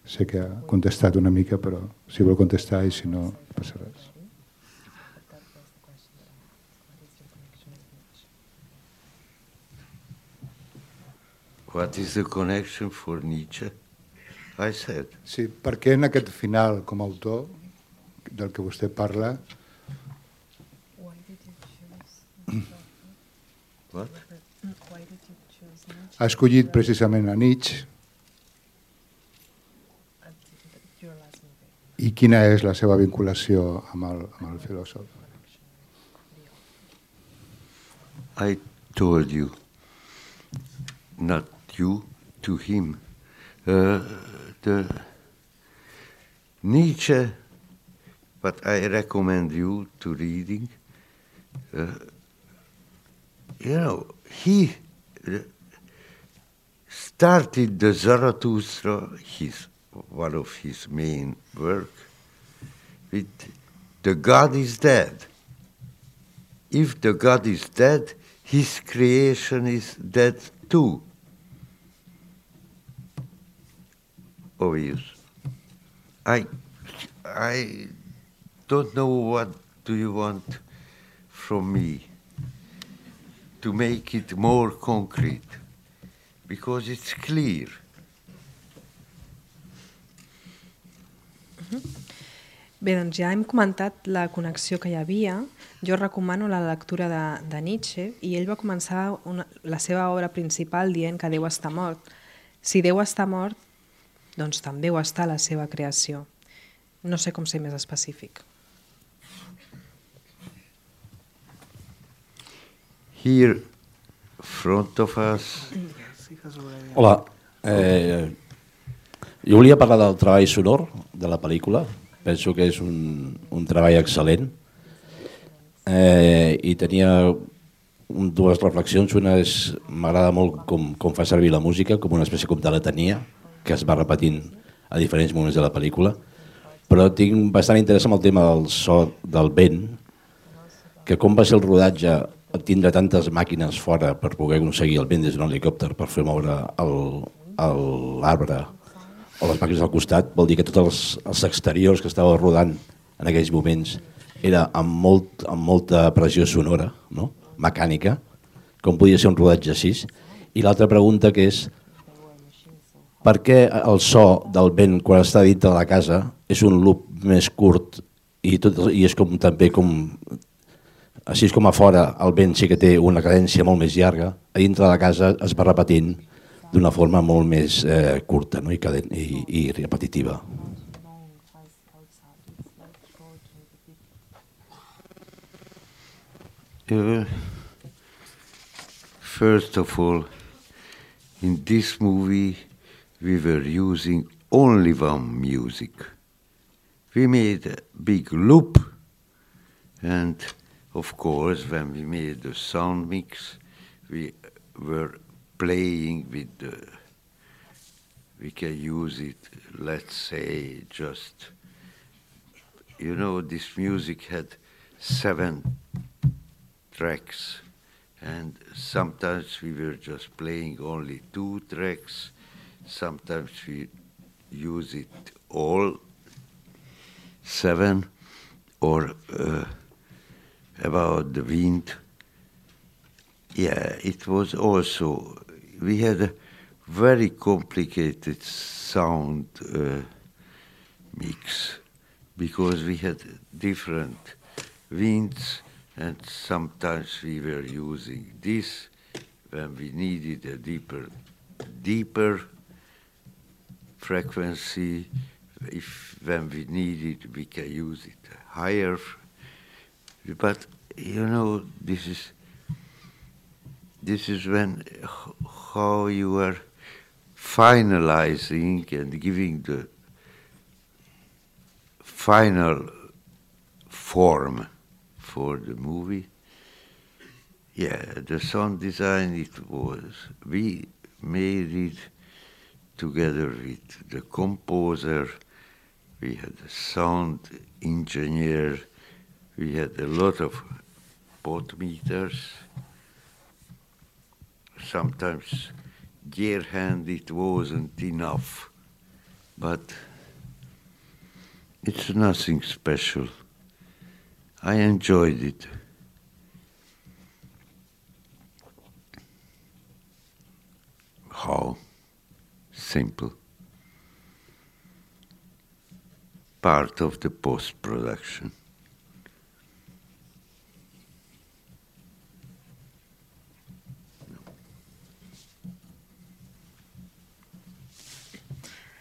Sé que ha contestat una mica, però si vol contestar i si no, no passa res. What is the connection for Nietzsche? I said. Sí, per què en aquest final com a autor del que vostè parla... What? Ha escollit precisament a Nietzsche. I quina és la seva vinculació amb el filòsof? I told you, not you, to him. The Nietzsche, but I recommend you to reading. He started the Zarathustra, one of his main work, with the God is dead. If the God is dead, his creation is dead too. Obvious. I don't know what do you want from me to make it more concrete, because it's clear. Bé, doncs ja hem comentat la connexió que hi havia. Jo recomano la lectura de Nietzsche, i ell va començar la seva obra principal dient que Déu està mort. Si Déu està mort, doncs també ho està la seva creació. No sé com ser més específic. Here, front of us... Hola. Jo volia parlar del treball sonor de la pel·lícula. Penso que és un treball excel·lent. I tenia dues reflexions. Una és, m'agrada molt com fa servir la música, com una espècie de letania, que es va repetint a diferents moments de la pel·lícula. Però tinc bastant interès en el tema del so del vent, que com va ser el rodatge tindre tantes màquines fora per poder aconseguir el vent des d'un helicòpter per fer moure l'arbre o les màquines al costat, vol dir que tots els exteriors que estava rodant en aquells moments era amb molta pressió sonora, no? Mecànica, com podia ser un rodatge així. I l'altra pregunta que és per què el so del vent quan està dintre de la casa és un loop més curt i és com també com... Així com a fora el vent sí que té una cadència molt més llarga, a dintre de la casa es va repetint d'una forma molt més curta, no? I repetitiva. First of all, in this movie we were using only one music. We made a big loop, and of course, when we made the sound mix, we were playing with we can use it, let's say, just, this music had 7 tracks, and sometimes we were just playing only 2 tracks, sometimes we use it all 7, or about the wind, Yeah, it was also, we had a very complicated sound mix because we had different winds and sometimes we were using this when we needed a deeper frequency. When we need it, we can use it higher. But you know, this is when how you are finalizing and giving the final form for the movie. Yeah, the sound design, we made it together with the composer. We had a sound engineer. We had a lot of pot meters. Sometimes gear hand it wasn't enough, but it's nothing special. I enjoyed it. How? Simple. Part of the post-production.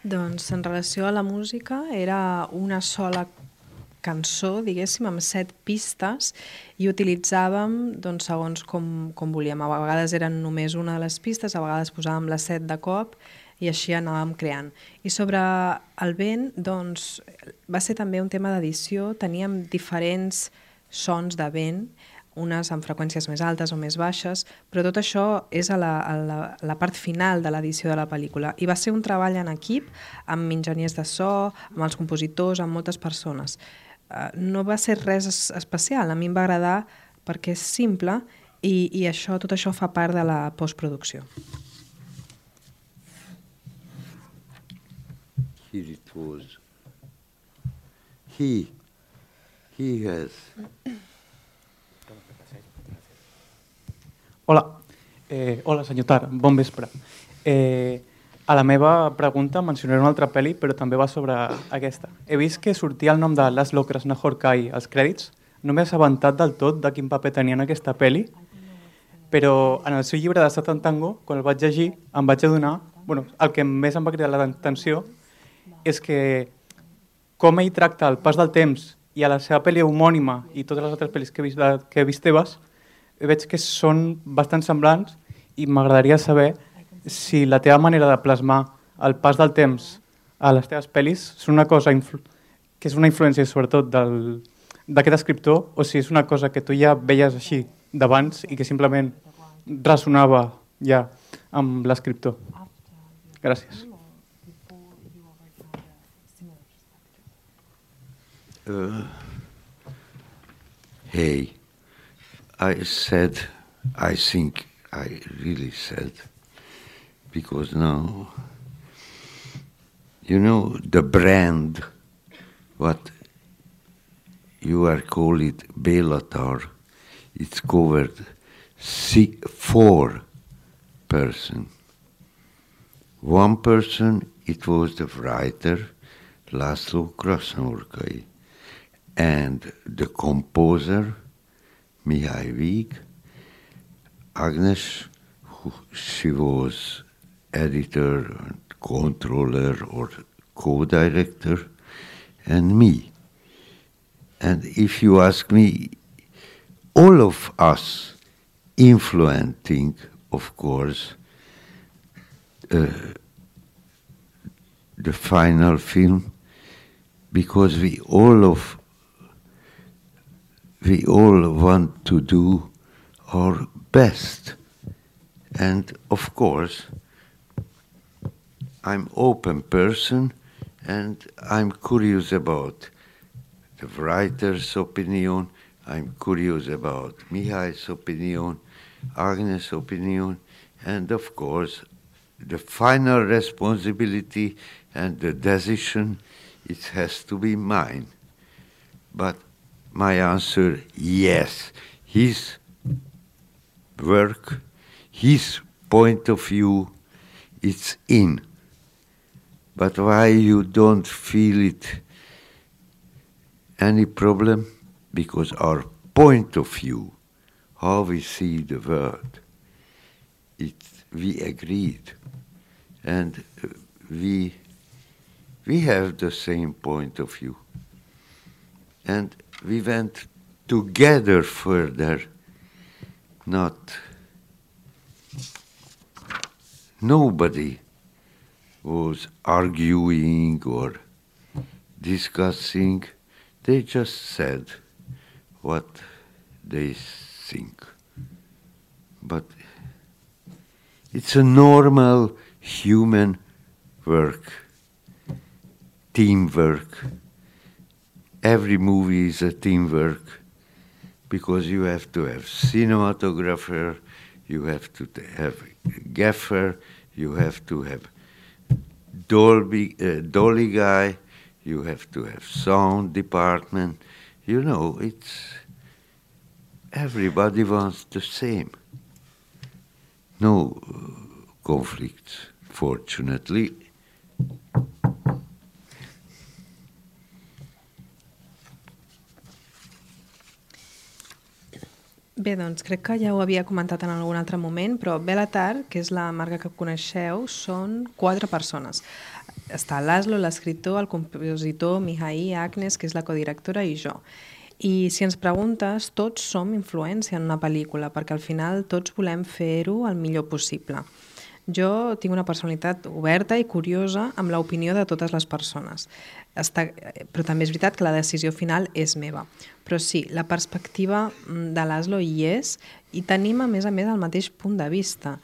Doncs en relació a la música era una sola cançó, diguéssim, amb 7 pistes i utilitzàvem doncs, segons com volíem. A vegades eren només una de les pistes, a vegades posàvem les 7 de cop i així anàvem creant. I sobre el vent, doncs, va ser també un tema d'edició. Teníem diferents sons de vent, unes amb freqüències més altes o més baixes, però tot això és a la part final de l'edició de la pel·lícula. I va ser un treball en equip, amb enginyers de so, amb els compositors, amb moltes persones. No va ser res especial, a mi em va agradar perquè és simple i tot això fa part de la postproducció. Here it was. He has... Hola, hola senyor Tar, bon vespre. A la meva pregunta mencionaré una altra pel·li, però també va sobre aquesta. He vist que sortia el nom de Laszlo Krasznahorkai als crèdits. No m'he assabentat del tot de quin paper tenia en aquesta pel·li, però en el seu llibre de Satan Tango, quan el vaig llegir, em vaig adonar, el que més em va cridar l'atenció és que com ell tracta el pas del temps i a la seva pel·li homònima i totes les altres pel·lis que he vist teves, veig que són bastant semblants i m'agradaria saber si la teva manera de plasmar el pas del temps a les teves pel·lis és una cosa que és una influència sobretot d'aquest escriptor o si és una cosa que tu ja veies així d'abans i que simplement ressonava ja amb l'escriptor. Gràcies. Hey, I think I really said, because now, you know, the brand, what you are call it Belatar, it's covered 4 person. One person, it was the writer, Laszlo Krasznahorkai, and the composer, Mihai Vig, Agnes, she was editor, and controller or co-director, and me. And if you ask me, all of us influencing, of course, the final film, because we all want to do our best. And of course, I'm open person and I'm curious about the writer's opinion, I'm curious about Mihai's opinion, Agnes' opinion, and of course, the final responsibility and the decision, it has to be mine. But my answer, yes, his work, his point of view, it's in. But why you don't feel it any problem? Because our point of view, how we see the world, we agreed. And we have the same point of view. And we went together further, nobody was arguing or discussing. They just said what they think. But it's a normal human work, teamwork. Every movie is a teamwork because you have to have cinematographer, you have to have gaffer, you have to have dolly guy, you have to have sound department. You know, everybody wants the same. No conflicts, fortunately. Bé, doncs crec que ja ho havia comentat en algun altre moment, però Bellatar, que és la marca que coneixeu, són 4 persones. Està Laszlo, l'escriptor, el compositor, Mihai, Agnes, que és la codirectora, i jo. I si ens preguntes, tots som influència en una pel·lícula, perquè al final tots volem fer-ho el millor possible. Jo tinc una personalitat oberta i curiosa amb l'opinió de totes les persones. Però també és veritat que la decisió final és meva. Però sí, la perspectiva de Laszlo hi és i tenim a més el mateix punt de vista.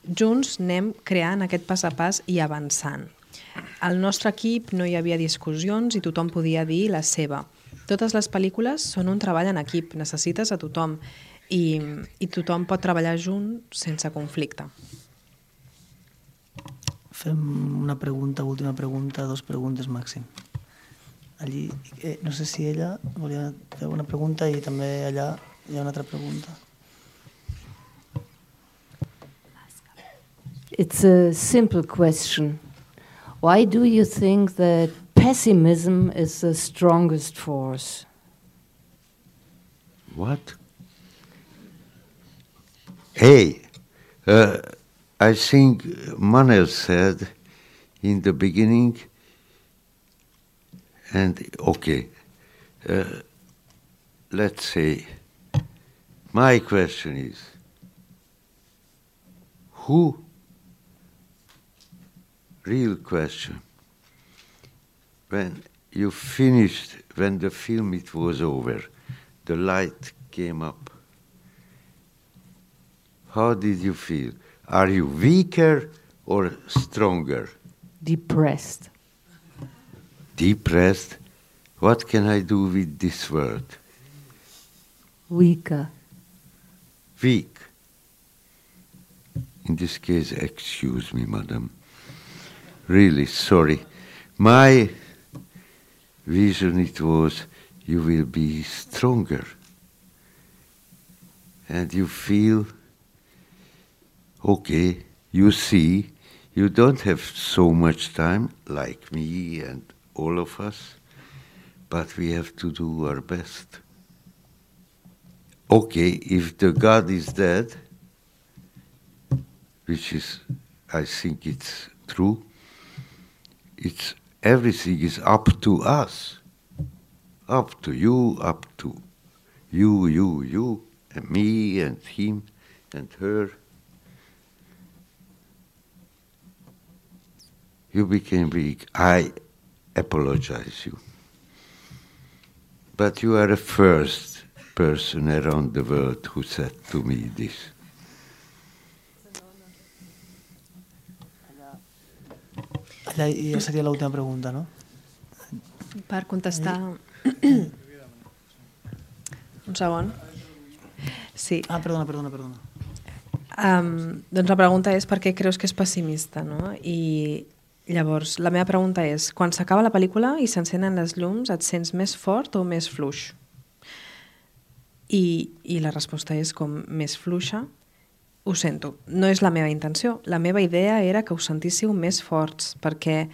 Junts anem creant aquest pas a pas i avançant. Al nostre equip no hi havia discussions i tothom podia dir la seva. Totes les pel·lícules són un treball en equip, necessites a tothom i tothom pot treballar junt sense conflicte. Fem una pregunta, última pregunta, 2 preguntes màxim. Allí, no sé si ella volia fer una pregunta i també allà hi ha una altra pregunta. It's a simple question. Why do you think that pessimism is the strongest force? What? Hey, I think Manel said in the beginning, and okay, let's say, my question is, real question, when you finished, when the film it was over, the light came up, how did you feel? Are you weaker or stronger? Depressed. Depressed? What can I do with this word? Weaker. Weak. In this case, excuse me, madam. Really sorry. My vision it was, you will be stronger. And you feel, okay, you see, you don't have so much time, like me and all of us, but we have to do our best. Okay, if the God is dead, which is, I think it's true, everything is up to us, up to you, and me, and him, and her. You became weak. I apologize you. But you are the first person around the world who said to me this. Allà ja seria l'última pregunta, no? Per contestar... Un segon. Sí. Perdona. Doncs la pregunta és per què creus que és pessimista, no? I llavors, la meva pregunta és, quan s'acaba la pel·lícula i s'encenen les llums, et sents més fort o més fluix? I la resposta és com més fluixa Ho sento, no és la meva intenció. La meva idea era que us sentíssiu més forts, perquè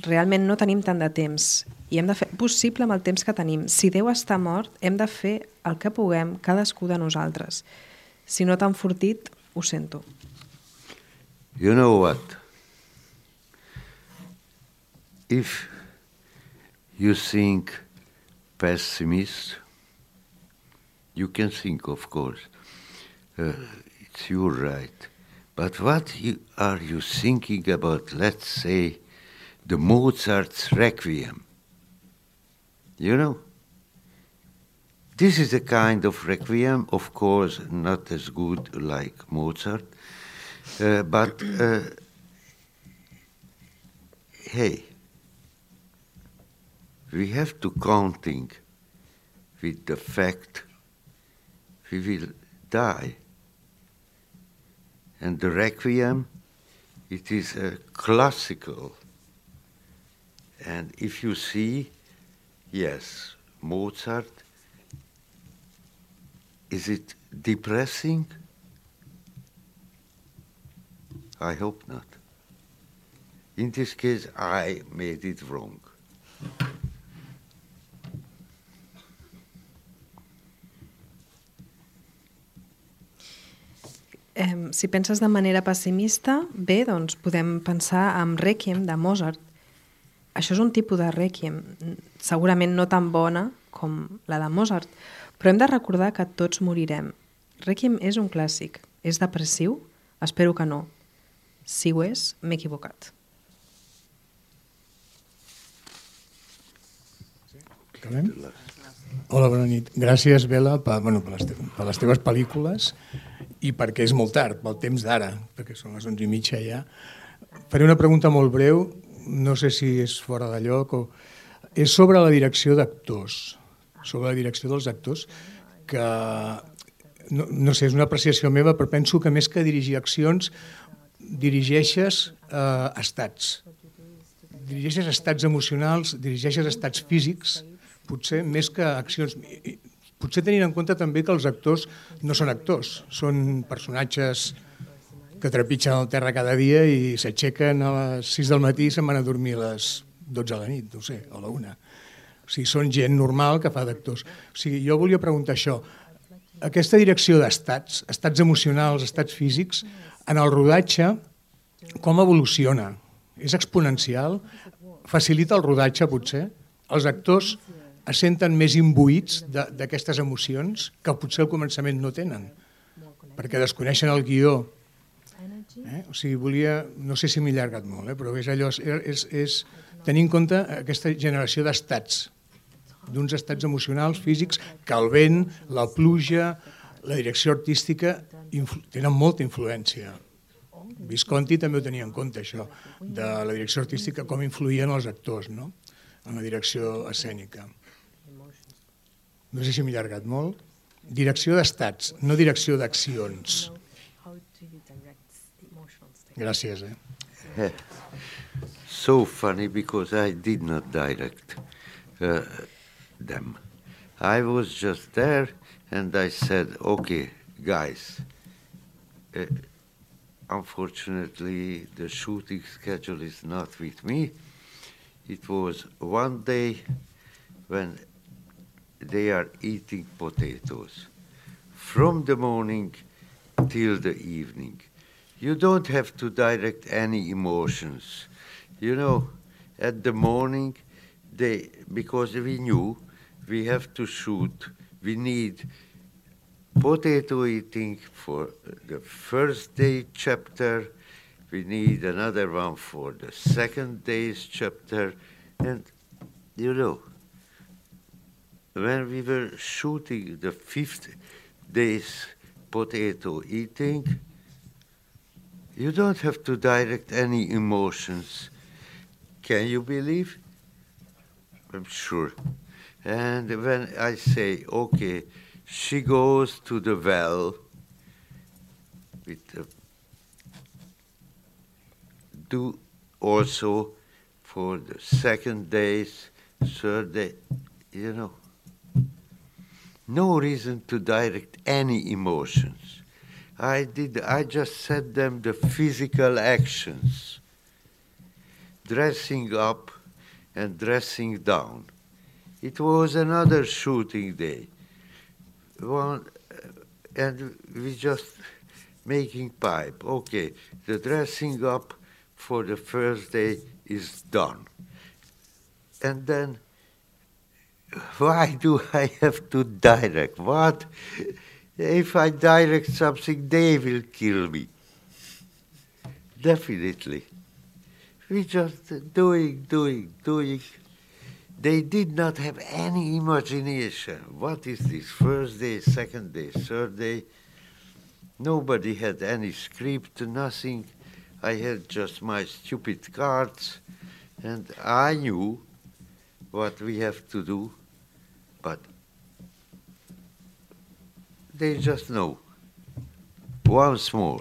realment no tenim tant de temps i hem de fer possible amb el temps que tenim. Si Déu està mort, hem de fer el que puguem, cadascú de nosaltres. Si no t'han fortit, ho sento. You know what? If you think pessimist, you can think, of course, it's your right. But what are you thinking about, let's say, the Mozart's Requiem? You know? This is a kind of Requiem, of course, not as good like Mozart, but hey, we have to counting with the fact we will die. And the Requiem, it is a classical. And if you see, yes, Mozart, is it depressing? I hope not. In this case, I made it wrong. Si penses de manera pessimista, bé, doncs podem pensar en Requiem de Mozart. Això és un tipus de Requiem, segurament no tan bona com la de Mozart, però hem de recordar que tots morirem. Requiem és un clàssic. És depressiu? Espero que no. Si ho és, m'he equivocat. Hola, bona nit. Gràcies, Bela, per les teves pel·lícules i perquè és molt tard, pel temps d'ara, perquè són les 11:30 ja. Faré una pregunta molt breu, no sé si és fora de lloc, és sobre la direcció d'actors, sobre la direcció dels actors, que no sé, és una apreciació meva, però penso que més que dirigir accions, dirigeixes estats. Dirigeixes estats emocionals, dirigeixes estats físics, potser més que accions. Potser tenint en compte també que els actors no són actors, són personatges que trepitgen el terra cada dia i s'aixequen a les 6 del matí i se'n van a dormir a les 12 de la nit, no sé, o a la 1. O sigui, són gent normal que fa d'actors. O sigui, jo volia preguntar això. Aquesta direcció d'estats, estats emocionals, estats físics, en el rodatge, com evoluciona? És exponencial? Facilita el rodatge, potser? Els actors es senten més imbuïts d'aquestes emocions que potser al començament no tenen, perquè desconeixen el guió. O sigui, no sé si m'he allargat molt, però és allò, és tenir en compte aquesta generació d'estats, d'uns estats emocionals, físics, que el vent, la pluja, la direcció artística tenen molta influència. Visconti també ho tenia en compte, això, de la direcció artística, com influïen els actors, no?, en la direcció escènica. No sé si m'he allargat molt. Direcció d'estats, no direcció d'accions. Gràcies. So funny, because I did not direct them. I was just there and I said, okay, guys, unfortunately the shooting schedule is not with me. It was one day when they are eating potatoes from the morning till the evening. You don't have to direct any emotions. You know, at the morning, because we knew we have to shoot, we need potato eating for the first day chapter, we need another one for the second day's chapter, and you know, when we were shooting the 5th day's potato eating, you don't have to direct any emotions. Can you believe? I'm sure. And when I say, okay, she goes to the well do also for the second days, third day, you know. No reason to direct any emotions. I just said them the physical actions. Dressing up and dressing down. It was another shooting day. And we just making pipe. Okay, the dressing up for the first day is done. And then, why do I have to direct? What? If I direct something, they will kill me. Definitely. We just doing. They did not have any imagination. What is this? First day, second day, third day? Nobody had any script, nothing. I had just my stupid cards, and I knew what we have to do, but they just know. Once more.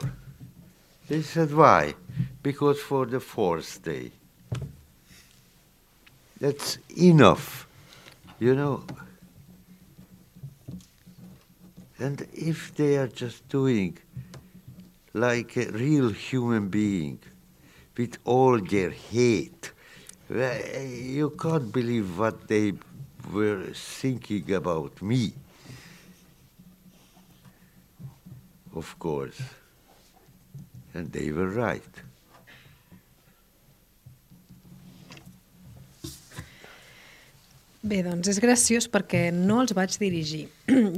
They said, why? Because for the fourth day. That's enough, you know. And if they are just doing like a real human being with all their hate, you can't believe what they were thinking about me. Of course. And they were right. Bé, doncs és graciós perquè no els vaig dirigir.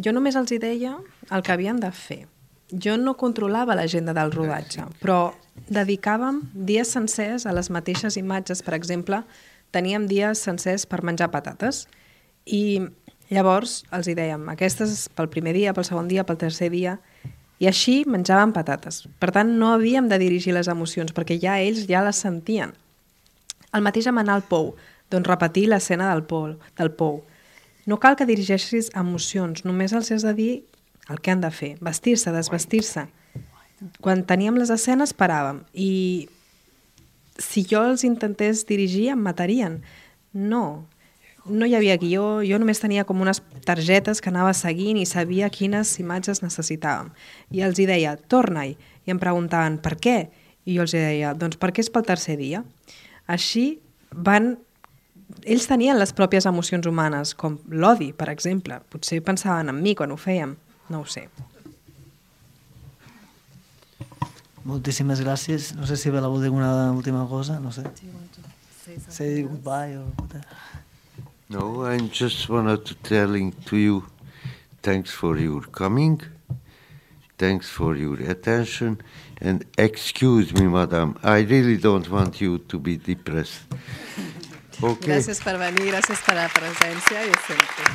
Jo només els hi deia el que havien de fer. Jo no controlava l'agenda del rodatge, però dedicàvem dies sencers a les mateixes imatges. Per exemple, teníem dies sencers per menjar patates i llavors els hi dèiem aquestes pel primer dia, pel segon dia, pel tercer dia, i així menjàvem patates. Per tant, no havíem de dirigir les emocions perquè ja ells ja les sentien. El mateix amb anar al pou, doncs repetir l'escena del pou. No cal que dirigeixis emocions, només els has de dir el que han de fer, vestir-se, desvestir-se. Quan teníem les escenes paràvem i si jo els intentés dirigir em matarien. No hi havia guió, jo només tenia com unes targetes que anava seguint i sabia quines imatges necessitàvem. I els hi deia, torna-hi, i em preguntaven per què? I jo els hi deia, doncs perquè és pel tercer dia. Així ells tenien les pròpies emocions humanes, com l'odi, per exemple. Potser pensaven en mi quan ho fèiem, no ho sé. Moltíssimes gràcies. No sé si Bela vol dir alguna última cosa, no sé. Say goodbye or whatever. No, I just wanted to telling to you, thanks for your coming, thanks for your attention, and excuse me, madam, I really don't want you to be depressed. Okay. Gràcies per venir, gràcies per la presència i sempre.